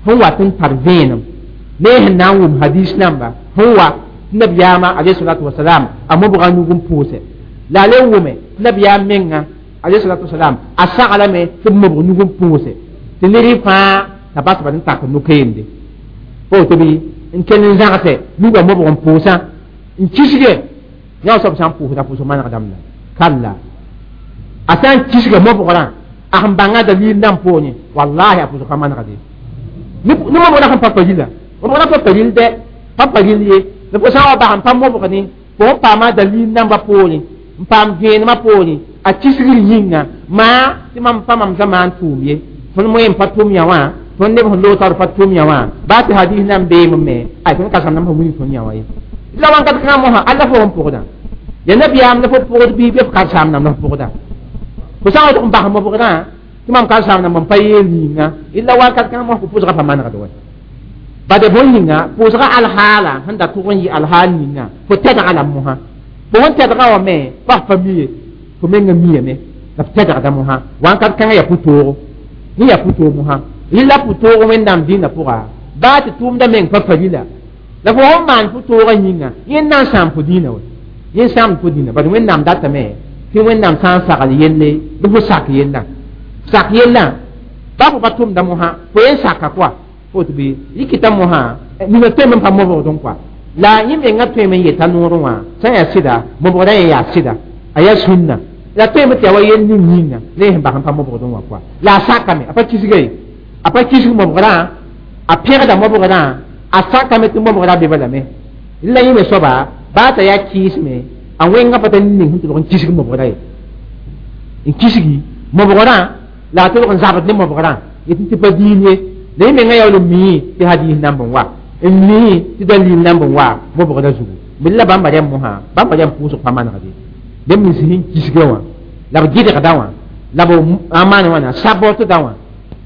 sẽn wat n tar vẽenem ne sẽn na n wʋm hadis namba sẽn wa tɩ nabiyaamã alayhi salatu wasalam a mobga nug n pʋʋsɛ la a le wʋme tɩ nabiyaam menga alayhi salatu wasalam a saglame tɩ b mobg nug n pʋʋsɛ tɩ ned fãa t'a basba n tak no-keende fo tɩ bɩ n kell n zãgse nugã mobg n pʋʋsã n kisge yã soab sã n pʋʋsda pʋʋsg manegdame la kalla a sã n kisga mobgrã a sẽn bãnga dalil nan poorẽ wallahi a pʋʋsg pa manegde ne mobgrã sẽn pa pa rila mobgrã pa pa ril dɛ pa pa ril ye la fo sã n wa bas n pa mobg ne fo n paama dalil nambã poorẽ n paam vẽenemã poorẽ a kisgr yĩnga maa tɩ mam pa mam zamaan tʋʋm ye tõnd moe n pa tʋm yã wã tõnd neb sẽn loog taoor pa tʋm yã wã baa tɩ hadis nan beem me ay tõnd ka sãm nam sẽn wilg tõnd yã wã ye la wãnkat kãngã mosã alla fo n pʋgdã ya nabiyaam la fo pʋgd bɩ be f karsaam nam la f pʋgda fo sã n wa tɩg n bas mobgrã tɩ mam karsaam nam n pa yeel yĩnga illa wakat kãngã mos pʋʋsgã pa manegd wa bade bõn yĩnga pʋʋsgã alhaala sẽn da tʋg n yɩ alhaal yĩnga fo tɛdga la mosã fo sẽn tɛdgã wã me pa f pa mi ye fo menga miyame la f tɛdgda mosã wãnkat kãngã yaa pʋ-toogo yẽ yaa pʋ-toog mosã rɩla pʋ-toog wẽnnaam dĩinã pʋga baa tɩ tʋʋmda meng pa pa rila la fo sẽn maan pʋ-toogã yĩnga yẽ na n sãam fo dĩinã wa yẽ sãamd fo dĩinã bad wẽnnaam datame tɩ wẽnnaam sã n sagl yelle bɩ fo sak yellã sak yellã ba fo pa tʋmda mosã fo yen saka koa fo tɩ bɩ yikita mosã nina tõeme n pa mobgdẽ koa la yẽ menga tõeme n yeta noorẽ wã sã n yaa sɩda mobgrã yẽ yaa sɩda a yaa sũnna la tõeme tɩ yaa wa yell ning yĩnga ne sẽn bas n pa mobgdẽ wã koa la a sakame a pa kisga ye a pa kisg mobgrã a pẽgda mobgrã a sakame tɩ mobgrã be balame la yẽ me soaba baa t'a yaa kɩɩsme a wẽngã pa tar ning sẽn tɩ lg n kisg mobgrã ye n kisgi mobgrã la a tɩ lg n zabd ne mobgrã yetɩ tɩ pa diin ye la yẽ menga yaool n mii tɩ hadis namb n wa n mii tɩ dalil namb n wa mobgrã zugu bɩ la bãmba rẽmb mosã bãmba rẽmb pʋʋsg pa manegde neb nins sẽn kisgã wã la b gɩdgda wã la b a maan wãna sabotda wã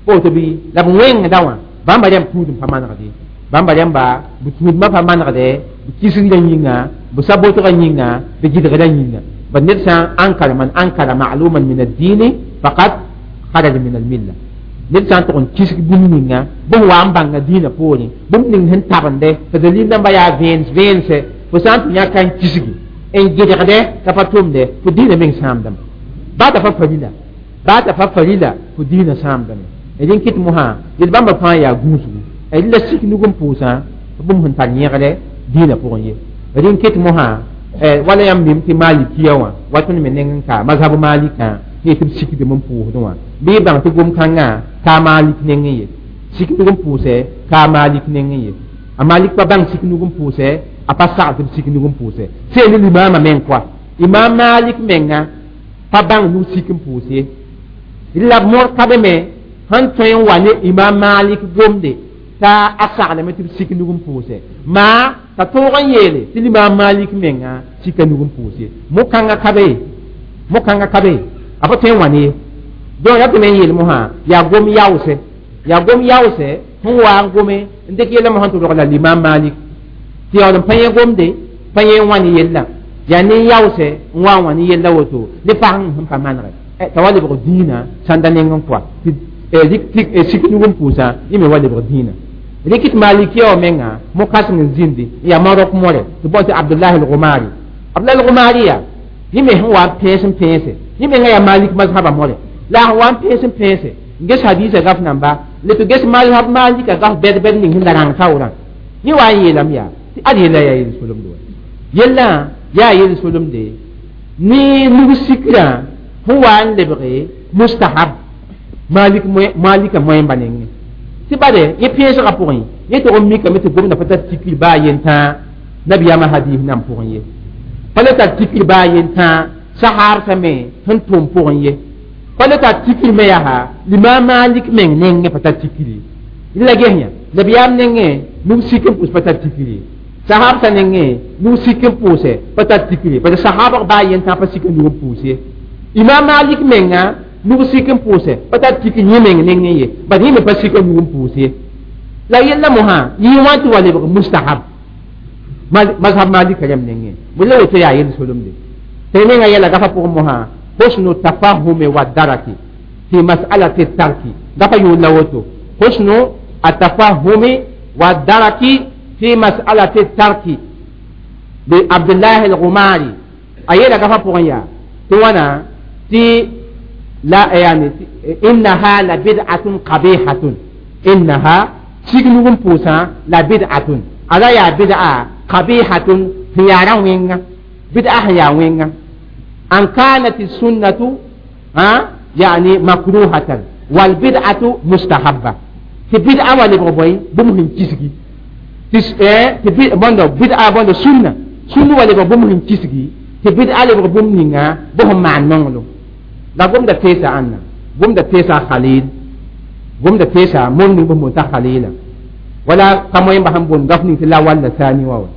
woto bɩ la b wẽngda wã bãmba rẽmb tũud n pa manegde bãmba rẽmba b tũudmã pa manegde b kisgrã yĩnga b sabotgã yĩnga b gɩdgrã yĩnga bad ned sã n ankara man ankara ma'luman min ad-dini faqad kharaja min al-milla ned sã n tʋg n kisg bũmb ninga bõn wa n bãnga dĩinã poorẽ bũmb ning sẽn tabende t'a dalil namba yaa vẽens vẽense fo sã n tɩ yã ka n kisgi n gɩdgdɛ t'a pa tʋmdɛ fo dĩinã meng sãamdame baa t'a pa farila baa t'a pa farila fo dĩinã sãamdame d n kɩt mosã yel bãmba fãa yaa gũusgu d la sik nug n pʋʋsã bũmb sẽn tar yẽgre dĩinã pʋgẽ ye d n kɩt mosã wala yãmb mim tɩ malikiya wã wa tõnd me neng n ka mazhab malikã tɩ b sikdem n pʋʋsdẽ wã bɩ y bãng tɩ gom-kãngã ka a malik nengẽ ye sik nug n pʋʋsɛ ka a malik nengẽ ye a malik pa bãng sik nug n pʋʋsɛ a pa sagl tɩ b sik nug n pʋʋsɛ seel limaamã meng koa imam malik menga pa bãng nug sik n pʋʋs ye la b mõr ka be me sẽn tõe n wa ne imam malik gomde t'a a saglame tɩ b sik nug n pʋʋsɛ maa t'a tõog n yeele tɩ limam malik menga sika nug n pʋʋs ye mo-kãngã ka be mo-kãngã ka be a pa tõe n wa ne ye donc ra tɩ me n yeel mosã yaa gom yaoosɛ yaa gom yaoosɛ sẽn wa n gome n dɩk yɛla mosã tɩ rogla limam malik tɩ yaool n pa yẽ gomde pa yẽ n wa ne yella yaa ne yaoosɛ n wa n wa ne yella woto ne pasẽng sẽn pa manegɛ t'a wa lebg dĩinã sãnda neng n koa tɩ sik nug n pʋʋsã yẽ me wa lebg dĩinã rɩk tɩ malikiya wã menga mo-kãseng n zĩndi n yaa marok more tɩ bao tɩ abdullahi al-gumari abdullahi al-gumari yaa yẽ me sẽn wa n pẽes n pẽese yẽ menga yaa malik mazhaba more la a sẽn wa n pẽes n pẽese n ges hadiisã gaf namba le tɩ ges mazhab malika gaf bɛd-bɛd ning sẽn la rãng taoorã yẽ wa n yeelame yaa tɩ ad yella yaa yel-solemde wa yellã yaa yel-solemde ne nug sikrã sẽn wa n lebge mustahab malik malika moẽmba nengẽ tɩ bade yẽ pẽesgã pʋgẽ yẽ tʋg n mikame tɩ gomda pa tar tikr baa yentã nabiyaamã hadis nan pʋgẽ ye pa le tar tikr baa yentã sahaabsã me sẽn tʋm pʋgẽ ye pa le tar tikr me yaa limam malik meng nengẽ pa tar tikr ye la ges yã nabiyaam nengẽ nug sik n pʋs pa tar tikr ye sahaabsã nengẽ nug sik n pʋʋsɛ pa tar tikr ye parce sahaabg baa yentã pa sik n nug n pʋʋs ye imam malik menga nug sik n pʋʋsɛ pa tar tikr yẽ meng nengẽ ye bad yẽ me pa sik n nug n pʋʋs ye la yella mosã yɩ wã tɩ wa lebg mustahab mazhab malika rãmb nengẽ bɩ la woto yaa yel-solemde tɩ menga yɛla gafa pʋgẽ mosã husnu tafahumi wa daraki fi mas'alati tarki gafa yʋʋl la woto husnu atafahumi wa daraki fi mas'alati tarki bi abdullahi al-gumari a yeela gafa pʋgẽ yaa tɩ wãna tɩ la yani innaha la bid'atun qabihatun innaha sig nug n pʋʋsã la bid'atun Ala yaa bid'a qabihatun sẽn yaa rã wẽnga bid'a sẽn yaa wẽnga an kanat sunnatu yani makruhatan wal bid'atu mustahabba tɩ bid'a wã lebg bõe bũmb sẽn kisgi tɩ bõndo bid'a bõndo sunna sunna wa lebg bũmb sẽn kisgi tɩ bid'a lebg bũmb ninga bõ sẽn maan nonglem la gomda teesa ãnna gomda teesa Khalil gomda teesa mom ning bõmb t'a Khalila wala ka moẽmba sẽn boond gaf ning tɩ la walla saani wa wa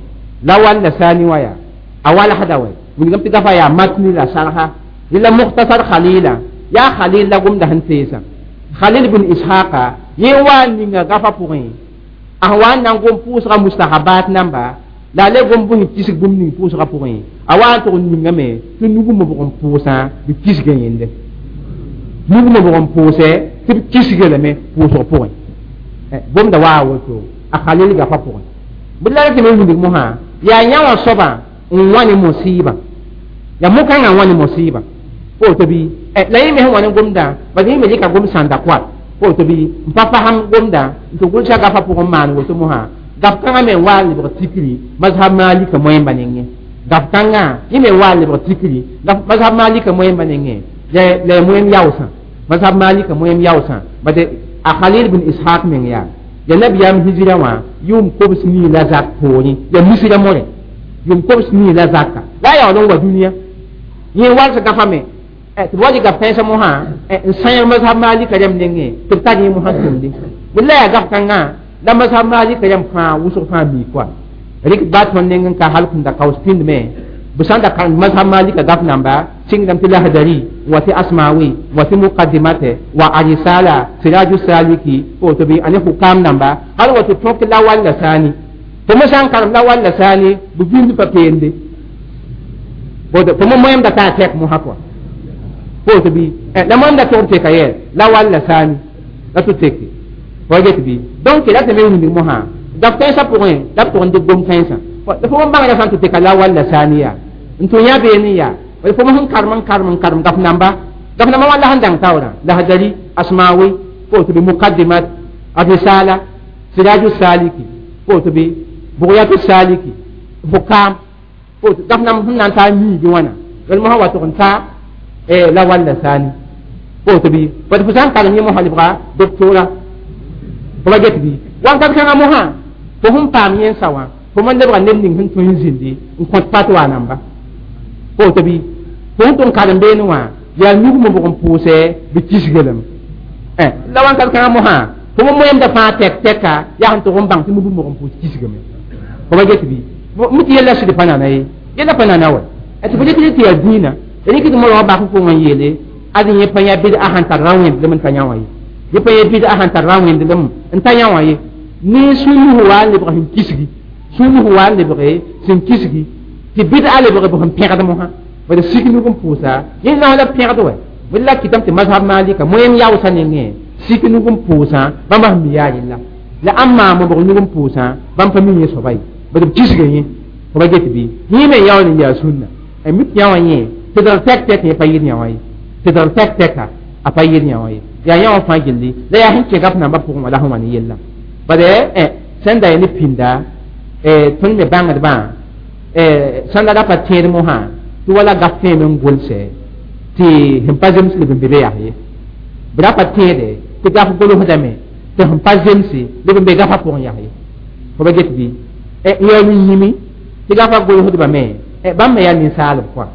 la walla saani wa yaa a walsda wa wilgame tɩ gafa yaa matni la sarsa la mukhtasar Khalila yaa Khalil la gomda sẽn teesa Khalil bin Ishaqa yẽ wa n ninga gafa pʋgẽ a sẽn wa n na n gom pʋʋsga mustahabat namba la a le gom bõe kisg bũmb ning pʋʋsga pʋgẽ a wa n tʋg n ningame tɩ nug-mobg n pʋʋsã b kisga yẽnde nug-mobg n pʋʋsɛ tɩ b kisga lame pʋʋsg pʋgẽ gomda waa a woto a Khalil gafa pʋgẽ bɩ la tɩ me wilg mosã yaa yã wã soabã n wa ne mosiibã yaa mo-kãngã n wa ne mosiibã woto bɩ la yẽ me sẽn wa ne gomdã bas yẽ me rɩka gom sãnda koa woto bɩ n pa fasem gomdã n tɩ gʋlsa gafa pʋgẽ maan woto mosã gaf kãngã me n wa n lebg tikri mazhab Malika moẽmba nengẽ gaf kãngã yẽ me wa n lebg tikri mazhab Malika moẽmba nengẽ la ya moẽm yaoosã mazhab Malika moẽm yaoosã bad a Khalil bin Ishaq meng yaa ya nabiyaam hijira wã yʋʋm kobs nii la zak poorẽ ya misra morẽ yʋʋm kobs nii la zaka la a yaool n wa dũniyã yẽ wals gafa me tɩ b wa rɩ gaf kãensã mosã n sãyg mazhab Malika rãmb nengẽ tɩ b tar yẽ mosã tʋmde bɩ la yaa gaf kãngã la mazhab Malika rãmb fãa wʋsg fãa mii koa rɩk ba tõnd neng n ka hal kũnda kaoos pĩndme b sã n da karem mazhab Malika gaf namba sɩngdame tɩ Lahdari wa tɩ Asmawi wa tɩ Muqaddimate wa Arisala Siraju Saliki woto bɩ ane hukam namba hal wa tɩ tõk la walla saani tɩ mo sã n karem la walla saani b vĩnd pa peende tɩ mo moẽmda taa tɛk mosã pʋa woto bɩ la moẽmda tʋg teka yɛ la walla saani la tɩ teke wa get bɩ donc la tɩ me wilg mosã gaf kãensã pʋgẽ la b tʋg n dɩk gom kãensã fo n bãngrã sã n tɩ teka la walla saani yaa n tʋ yã beene yaa fo sẽn karem n karem n karem gaf namba wã la sẽn dãng taoorã Lahdari Asmawi woto bɩ Muqaddimat Arisala Siraju Saliki woto bɩ Bugyatu Saliki Hukam woto gaf namb sẽn na n taa miigi wãna wel mosã wa tʋg n taa la walla saani woto bɩ bad fo sã n karem yẽ mosã lebga doctora fo ba get bɩ wãnkat kãngã mosã fo sẽn paam yẽnsa wã fo man lebga ned ning sẽn tõe n zĩndi n kõt fatwa namba woto bɩ fo sẽn tʋg n karem beene wã yaa nug-mobg n pʋʋsɛ bɩ kisga lame la wãnkat kãngã mosã fo mo moẽmda fãa tɛk tɛka yaa sẽn tʋg n bãng tɩ nug-mobg n pʋʋs kisgame fo ba get bɩ mi tɩ yella sɩd pa nana ye yella pa nana wa tɩ fo rɩk tɩ yaa dĩinã rɩk tɩ morgã bak n pʋgẽ n yeele ad yẽ pa yã bɩd a sãn tar rã wẽndlem n ta yã wã ye yẽ pa yã bɩd a sãn tar rã wẽndlem n ta yã wã ye ne sũnus wa n lebg sẽn kisgi sũnus wa n lebge sẽn kisgi tɩ bɩd a lebg b sẽn pẽgd mosã bad sik nug n pʋʋsa yẽ na la pẽgd wɛ bɩ la kɩtame tɩ mazhab Malika moẽm yaoosã nengẽ sik nug n pʋʋsã bãmb sẽn mi yaa rella la ãn maan mobg nug n pʋʋsã bãmb pa mi yẽ soaba ye bad b kisga yẽ fo ba get bɩ yẽ me yaool n yaa sũnna mi tɩ yã wã yẽ tɩ dal tɛk tɛk yẽ pa yɩd yã wã ye tɩ dal tɛk tɛka a pa yɩd yã wã ye yaa yã wã fãa gilli la yaa sẽn kẽ gaf nambã pʋgẽ wã la sẽn wa ne yella bad sẽn da ya ne pĩnda tõnd me bãngdbã sãn da ra pa tẽed mosã tɩ wala gaf tẽeme n gʋlsɛ tɩ sẽn pa zems leb n be be yaa ye b ra pa tẽede tɩ gaf golsdame tɩ sẽn pa zemse leb n be gafã pʋgẽ yaa ye fo ba get bɩ yaool n yĩmi tɩ gafã golsdbame bãmb me yaa ninsaalb kɔa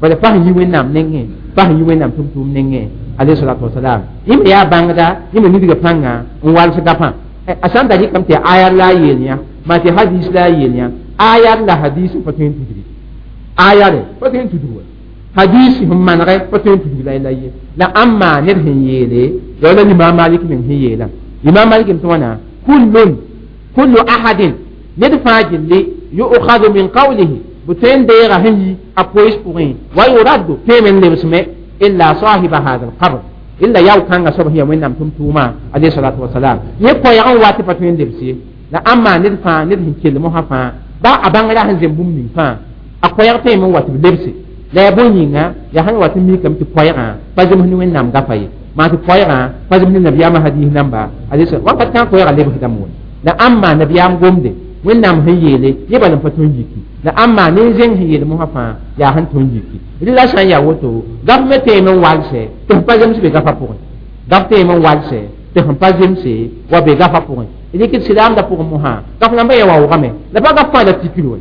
bala pa sẽn yi Wẽnnaam nengẽ pa sẽn yi Wẽnnaam tʋm-tʋʋm nengẽ alayhi salatu wasalam yẽ me yaa bãngda yẽ me nidga pãnga n wals gafã a sã n da rɩkame tɩ ayar la a yeel yã maa tɩ hadis la a yeel yã ayar la hadis pa tõe n tudgi ayare pa tõe n tudg wa hadis sẽn manegɛ pa tõe n tudg la ye la ãn maa ned sẽn yeele ya wala Imam Malik meng sẽn yeela Imam Malik tɩ wãna kullun kullu ahadin ned fãa gilli yu'khadhu min qawlihi b tõe n deega sẽn yi a pois pʋgẽ wa yuraddu tõe me n lebsme illa sahiba hada alqabr illa yaw kãngã soab sẽn ya Wẽnnaam tʋm-tʋʋmã alayhi salatu wasalam yẽ koɛɛg n wa tɩ pa tõe n lebs ye la ãn maa ned fãa ned sẽn kell mosã fãa ba a bãngrã sẽn zem bũmb ning fãa a koɛɛg tõe me n wa tɩ b lebse la yaa bõe yĩnga yaa sãn wa tɩ mikame tɩ koɛɛgã pa zems ne Wẽnnaam gafa ye maa tɩ koɛɛgã pa zems ne nabiyaamã hadis namba alayhi wakat kãng koɛɛgã lebsdame wã la ãn maa nabiyaam gomde Wẽnnaam sẽn yeele yẽ bala n pa tõe n yiki la ãmba ne zẽng sẽn yeel mosã fãa yaa sẽn tõe n yiki rɩ la sã n yaa woto gaf me teeme n walsɛ tɩ sẽn pa zems be gafã pʋgẽ gaf teeme n walsɛ tɩ sẽn pa zemse wa be gafã pʋgẽ rɩk d silaamdã pʋgẽ mosã gaf nambã yã waoogame la pa gaf fãa la tikr wɛ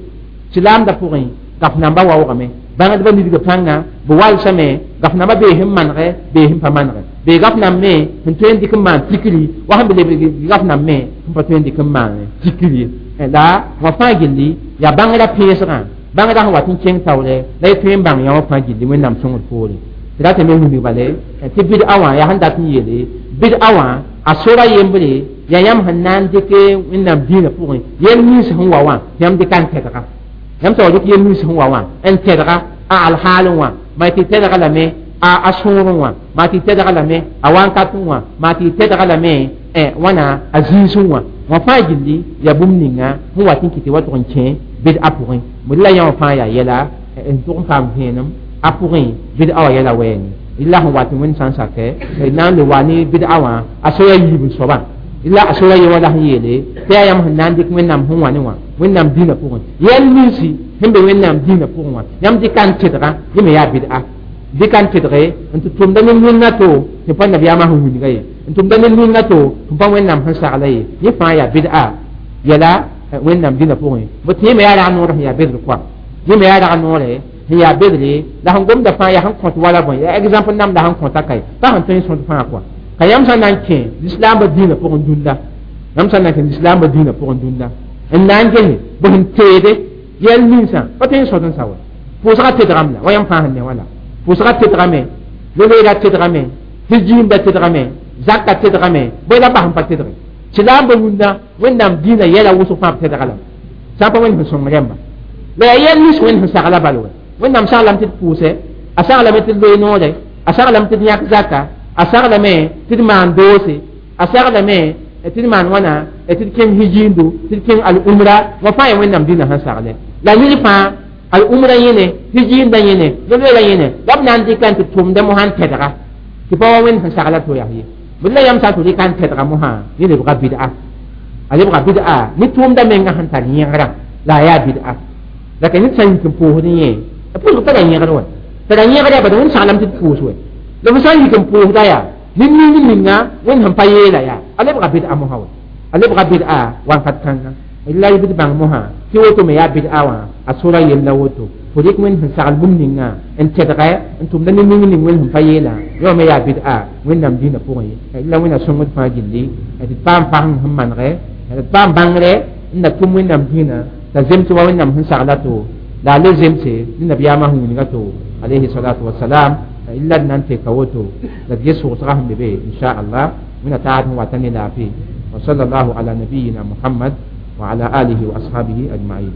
silaamdã pʋgẽ gaf nambã waoogame bãngdbã nidga pãnga b walsame gaf nambã bee sẽn manegɛ bee sẽn pa manegɛ bee gaf namb me sẽn tõe n dɩk n maan tikri wa sẽn be lebg gaf namb me sẽn pa tõe n dɩk n maan tikri ye la wã fãa gilli yaa bãngrã pẽesgã bãngrã sẽn wat n kẽng taoore la y tõe n bãng yã wã fãa gilli wẽnnaam sõngd poore tɩ ra tɩ me wilg bale tɩ bɩd-a wã yaa sẽn dat n yeele bɩd-a wã a sora yembre yaa yãmb sẽn na n dɩk wẽnnaam dĩinã pʋgẽ yel nins sẽn wa wã yãmb dɩka n tɛdga yãmb t'a wa dɩk yel nins sẽn wa wã n tɛdga a alhaalẽ wã maa tɩ tɛdga lame a sõorẽ wã maa tɩ tɛdga lame a wankatẽ wã maa tɩ tɛdga lame wãna a zĩisẽ wã wã fãa gilli yaa bũmb ninga sẽn wat n kɩ tɩ wa tʋg n kẽ bɩd-a pʋgẽ bd la yã wã fãa yaa yɛla n tʋg n paam vẽenem a pʋgẽ bɩd-a wã yɛla wɛɛne la sẽn wat n wẽnd sã n sakɛ na n le wa ne bɩd-a wã a soya yiib n soabã la a sora ye wã la sẽn yeele tɩ yaa yãmb sẽn na n dɩk wẽnnaam sẽn wa ne wã wẽnnaam dĩinã pʋgẽ yɛl ninsi sẽn be wẽnnaam dĩinã pʋgẽ wã yãmb dɩka n tẽdga yẽ me yaa bɩd-a dɩka n tẽdge n tɩ tʋmda ne ninga to tɩ pa nabiyaamã sẽn wilga ye n tʋmda ne ninga to tɩ pa wẽnnaam sẽn sagla ye yẽ fãa yaa bɩd-a yɛla wẽnnaam dĩinã pʋgẽ bɩ tɩ yẽ me yaa rag noor sẽn yaa bedr koa yẽ me yaa rag noore sẽn yaa bedre la sẽn gomda fãa yaa sẽn kõt wala bõe yaa exemple namda sẽn kõta kae pa sẽn tõe n sõd fãa koa ka yãmb sã n na n kẽ lislaambã dĩinã pʋgẽ dũnda yãmb sã n na n kẽ lislaambã dĩinã pʋgẽ dũnda n na n gese bɩ sẽn teede yɛl ninsã pa tõe n sõd n sa wa pʋʋsgã tedgame la wa yãmb fãa sẽn ne wã la pʋʋsgã tedgame loleerã tedgame hijiimda tedgame zakã tedgame bõe la bas n pa tedge silaambã wũnda wẽnnaam dĩinã yɛla wʋsg fãa b tedga lame sã n pa wẽnd sẽn sõng rẽmba la yaa yɛl nins wẽnd sẽn sagla bal wɛ wẽnnaam saglame tɩ d pʋʋsɛ a saglame tɩ d loe noore a saglame tɩ d yãk zaka a saglame tɩ d maan doose a saglame tɩ d maan wãna tɩ d kẽng hijiindu tɩ d kẽng al-umra wã fãa yaa wẽnnaam dĩinã sẽn sagle la yɩl fãa al-umra yẽne hijiindã yẽne loleerã yẽne la b na n dɩka n tɩ tʋmda mosã n tɛdga tɩ pa wa wẽnd sẽn sagla to yaa ye bd la yãmb sã n tɩ rɩka n tɛdga mosã yẽ lebga bɩd-a a lebga bɩd-a ne tʋʋmda menga sẽn tar yẽgrã la a yaa bɩd-a la ka ned sã n yik n pʋʋsd yẽ pʋʋsg tara yẽgr wɛ tara yẽgr yaa bad wẽnd saglame tɩ d pʋʋs wɛ la f sã n yik n pʋʋsda yaa ne ning ninga wẽnd sẽn pa yeela yaa a lebga bɩd-a mosã wɛ a lebga bɩd-a wakat kãnga la y bɩd bãng mosã tɩ woto me yaa bɩd-a wã a sora yella woto fo rɩk wẽnd sẽn sagl bũmb ninga n tɛdgɛ n tʋmda ne ning ning wẽnd sẽn pa yeelã yã me yaa bɩd-a wẽnnaam dĩinã pʋgẽ ye la wẽnna sõngd fãa gilli tɩ d paam fasem sẽn manegɛ d paam bãngrɛ n na tʋm wẽnnaam dĩinã t'a zems wa wẽnnaam sẽn sagla to la a le zemse ne nabiyaamã sẽn wilga to alayhi salatu wasalam illa d na n teka woto la d ges sʋgsga sẽn be be inchallah wẽnna taad sẽn wata ne laafɩ wa sal allahu ala nabiyina muhammad wa ala alihi wa ashabihi ajmain.